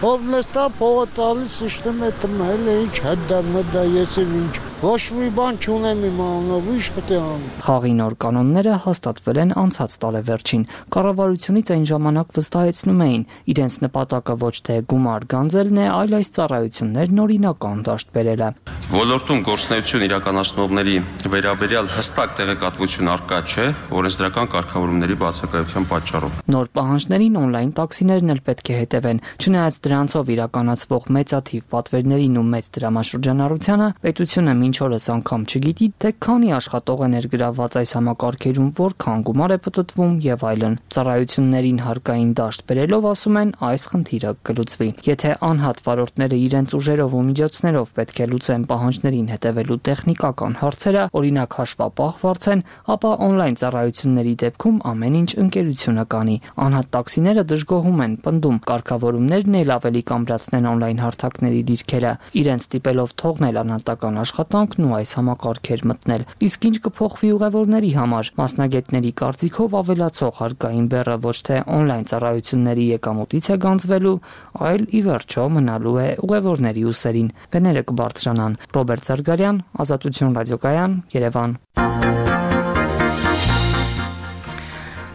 ով նստա փողը տալիս իշխնում է տմել, ինչ հդա մդա, ես էլ ինչ, ոչ մի բան չունեմ իմ անունով, ինչ պետք է անեմ։ Խաղի նոր կանոնները հաստատվել են անցած տարեվերջին։ Կառավարությունից այն ժամանակ վստահեցնում էին, իրենց նպատակը ոչ թե գումար գանձելն է, այլ այս ծառայություններն օրինական դաշտ բերելը։ Ոլորտում գործունեություն իրականացնողների վերաբերյալ հստակ տեղեկատվություն առկա չէ օրենսդրական կարգավորումների բացակայության պատճառով։ Նոր պահանջներին օնլայն տաքսիներն էլ պետք է հետևեն, չնայած դրանցով իրականացվող մեծաթիվ պատվերներին ու մեծ դրամաշրջանառությանը, պետությունը մինչ օրս անգամ չգիտի, թե քանի աշխատող է ներգրավված այս համակարգերում, որքան գումար է պտտվում եւ այլն։ Ծառայություններին հարկային դաշտ բերելով ասում են այս խնդիրը կլուծվի։ Եթե անհատ վարորդները իրենց ուժերով ու միջոցներով պետք է լուծեն պահանջներին հետևելու տեխնիկական հարցերը, օրինակ հաշվապահ վարձեն, ապա on-line ծառայությունների դեպքում ամեն ինչ ընկերությունը կանի։ Անհատ տաքսիները դժգոհում են, պնդում, կարգավորումներն էլ ավելի կամրացնեն on-line հարթակների դիրքերը, իրենց ստիպելով թողնել անհատական աշխատանքն ու այս համակարգեր մտնել։ Իսկ ինչ կփոխվի ուղևորների համար։ Մասնագետների կարծիքով ավելացող հարկային բեռը ոչ թե on-line ծառայությունների եկամուտից է գանձվելու, այլ ի վերջո մնալու է ուղևորների ուսերին։ Վեները կբարձրանան։ Ռոբերտ Զարգարյան, Ազատություն ռադիոկայան, Երևան։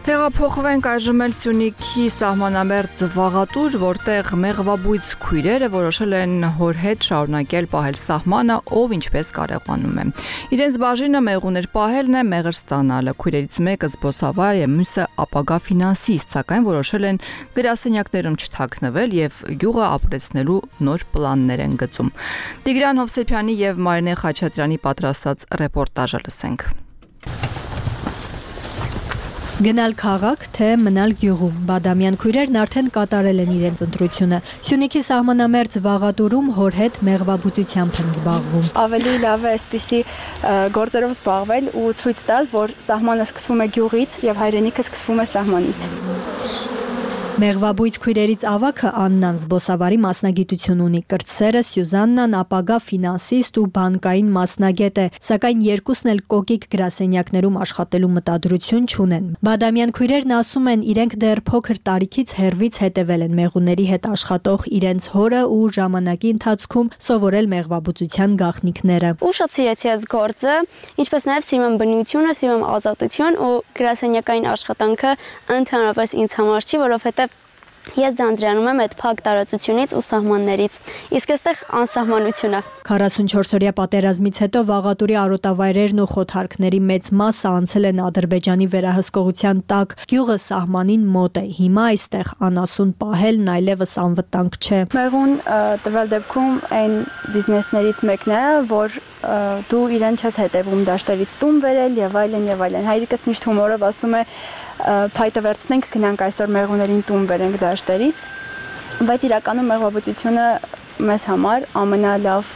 Տեղափոխվենք այժմ էլ Սյունիքի սահմանամերձ Վաղատուր, որտեղ մեղվաբույծ քույրերը որոշել են հոր հետ շարունակել պահել սահմանը, ով ինչպես կարողանում է։ Իրենց բաժինը մեղուներ պահելն է, մեղր ստանալը։ Քույրերից մեկը զբոսավար է, մյուսը ապագա ֆինանսիստ, սակայն որոշել են գրասենյակներում չթաքնվել եւ գյուղը ապրեցնելու նոր պլաններ են գծում։ Տիգրան Հովսեփյանի եւ Մարինե Խաչատրյանի պատրաստած ռեպորտաժը լսենք։ Գնալ քաղաք, թե մնալ գյուղում։ Բադամյան քույրերն արդեն կատարել են իրենց ընտրությունը։ Սյունիքի սահմանամերձ Վաղատուրում հոր հետ մեղվաբուծությամբ են զբաղվում։ Ավելի լավ է այսպիսի գործերով զբաղվել ու ցույց տալ, որ սահմանը սկսվում է գյուղից եւ հայրենիքը սկսվում է սահմանից։ Մեղվաբույծ քույրերից ավագը Աննան զբոսավարի մասնագիտություն ունի, կրտսերը Սյուզաննան ապագա ֆինանսիստ ու բանկային մասնագետ է, սակայն երկուսն էլ կոկիկ գրասենյակներում աշխատելու մտադրություն չունեն։ Բադամյան քույրերն ասում են, իրենք դեռ փոքր տարիքից հեռվից հետևել են մեղուների հետ աշխատող իրենց հորը ու ժամանակի ընթացքում սովորել մեղվաբուծության գաղտնիքները։ Ուշ սիրեցի այս գործը, ինչպես նաև սիրում եմ բնությունը, սիրում եմ ազատություն ու գրասենյակային աշխատանքը ընդհանրապես ինձ համար չի, որովհետև ես ձանձրանում եմ այդ փակ տարածությունից ու սահմաններից, իսկ այստեղ անսահմանություն է։ քառասունչորսօրյա պատերազմից հետո Վաղատուրի արոտավայրերն ու խոթարքների մեծ մասը անցել են Ադրբեջանի վերահսկողության տակ, գյուղը սահմանին մոտ է, հիմա այստեղ անասուն պահելն այլևս անվտանգ չէ։ Մեղուն տվյալ դեպքում այն բիզնեսներից մեկն է, որ դու իրեն չես հետևում դաշտերից տուն վերել եւ այլն եւ այլն։ Հայրիկս միշտ հումորով ասում է փայտը վերցնենք, գնանք այսօր մեղուներին տուն վերենք դաշտերից, բայց իրականում մեղվաբուծությունը մեզ համար ամենալավ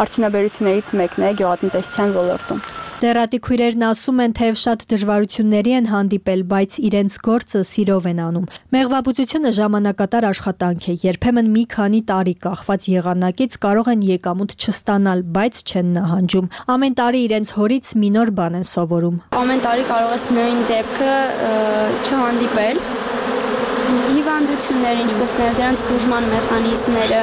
արդյունաբերություններից մեկն է գյուղատնտեսության ոլորտում։ Դեռատի քույրերն ասում են, թեև շատ դժվարությունների են հանդիպել, բայց իրենց գործը սիրով են անում։ Մեղվաբուծությունը ժամանակատար աշխատանք է, երբեմն մի քանի տարի կախված եղանակից կարող են եկամուտ չստանալ, բայց չեն նահանջում։ Ամեն տարի իրենց հորից մի նոր բան են սովորում։ Ամեն տարի կարող ես նույն դեպքը չհանդիպել։ Հիվանդություններ, ինչպես նաև դրանց բուժման մեխանիզմները։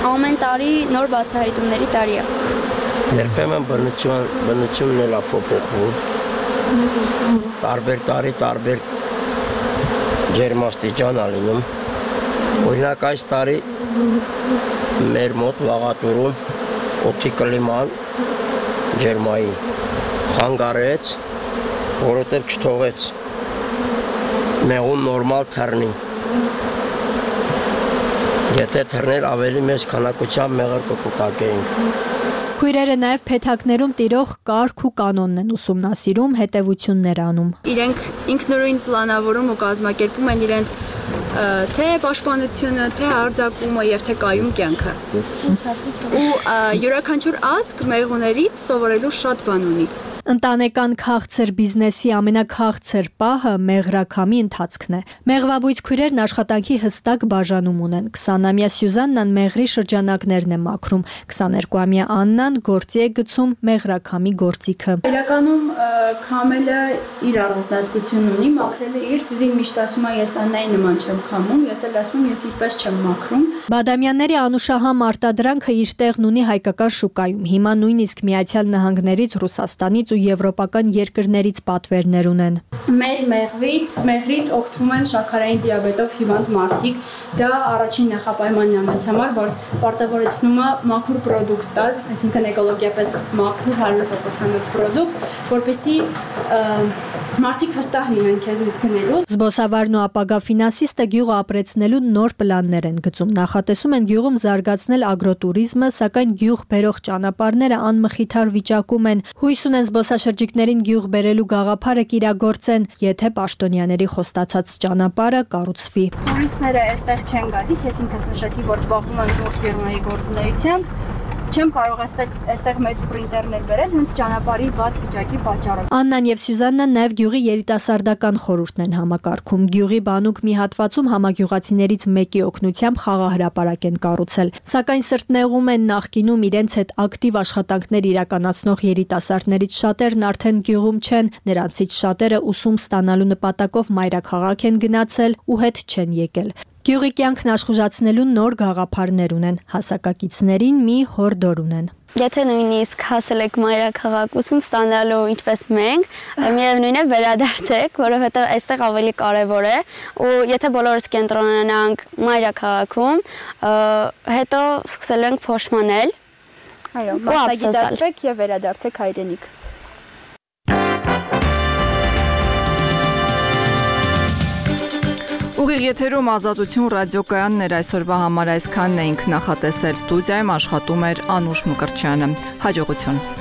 Ամեն տարի նոր բացահայտումների տարի է։ Երբեմն բնությունն էլ է փոփոխվում։ Տարբեր տարի տարբեր ջերմաստիճան է լինում։ Օրինակ այս տարի մեր մոտ Վաղատուրում օդի կլիման ջերմային խանգարեց, որովհետև չթողեց մեղուն նորմալ թռնի։ Եթե թռներ ավելի մեծ քանակությամբ մեղր կկուտակեինք։ Քույրերը նաև փեթակներում տիրող կարգ ու կանոնն են ուսումնասիրում, հետևություններ անում։ Իրենք ինքնուրույն պլանավորում ու կազմակերպում են իրենց թե պաշտպանությունը, թե արձակումը եւ թե կայուն կյանքը։ Ու յուրաքանչյուր ազգ մեղուներից սովորելու շատ բան ունի։ Ընտանեկան քաղցր բիզնեսի ամենաքաղցր պահը մեղրաքամի ընթացքն է։ Մեղվաբույծ քույրերն աշխատանքի հստակ բաժանում ունեն։ քսանամյա Սյուզաննան մեղրի շրջանակներն է մաքրում, քսաներկուամյա Աննան գործի է գցում մեղրաքամի գործիքը։ Իրականում քամելը իր առանձնահատկություն ունի, մաքրելը իր, Սյուզին միշտ ասում է, ես Աննայի նման չեմ քամում, ես էլ ասում եմ, ես իդպես չեմ մաքրում։ Բադամյանների անուշահամ արտադրանքը իր տեղն ունի հայկական շուկայում։ Հիմա նույնիսկ Միացյալ Նահանգներից, Ռուսաստանից ու ու եվրոպական երկրներից պատվերներ ունեն։ Մեր մեղվից, մեղրից օգտվում են շաքարային դիաբետով հիվանդ մարդիկ։ Դա առաջին նախապայմանն է մեզ համար, որ պարտավորեցնում է մաքուր պրոդուկտ տալ, այսինքն էկոլոգիապես մաքուր հարյուր տոկոս պրոդուկտ, որպեսզի մարդիկ վստահ լինեն քեզնից գնելու։ Զբոսավարն ու ապագա ֆինանսիստը գյուղը ապրեցնելու նոր պլաններ են գծում։ Նախատեսում են գյուղում զարգացնել ագրոտուրիզմը, սակայն գյուղ բերող ճանապարհները անմխիթար վիճակում են։ Հույս ունեն զբոսաշրջիկներին գյուղ բերելու գաղափարը կիրագործեն, եթե պաշտոնյաների խոստացած ճանապարհը կառուցվի։ Տուրիստները այստեղ չեն գալիս, ես ինքս նշեցի, որ զբաղվում եմ տուրֆիրմայի գործունեությամբ։ Չեմ կարող այստեղ այստեղ մեծ սպրինտերներ բերել, հենց ճանապարհի վատ վիճակի պատճառով։ Աննան եւ Սյուզաննան նաեւ գյուղի երիտասարդական խորհուրդն են համակարգում։ Գյուղի բանուկ մի հատվածում համագյուղացիներից մեկի օգնությամբ խաղահրապարակ են կառուցել։ Սակայն սրտնեղում են նախկինում իրենց հետ ակտիվ աշխատանքներ իրականացնող երիտասարդներից շատերն արդեն գյուղում չեն, նրանցից շատերը ուսում ստանալու նպատակով մայրաքաղաք են գնացել ու հետ չեն եկել։ Գյուղի կյանքն աշխուժացնելու նոր գաղափարներ ունեն, հասակակիցներին մի հորդոր ունեն։ Եթե նույնիսկ հասել եք մայրաքաղաք ուսում ստանալու ինչպես մենք, միևնույն է վերադարձեք, որովհետև այստեղ ավելի կարևոր է, ու եթե բոլորս կենտրոնանանք մայրաքաղաքում, հետո սկսելու ենք փոշմանել։ Այո, մասնագիտացվեք եւ վերադարձեք հայրենիք։ Ուղիղ եթերում Ազատություն ռադիոկայանն էր, այսօրվա համար այսքանն էինք, նախատեսել ստուդիայում աշխատում էր Անուշ Մկրտչյանը։ Հաջողություն։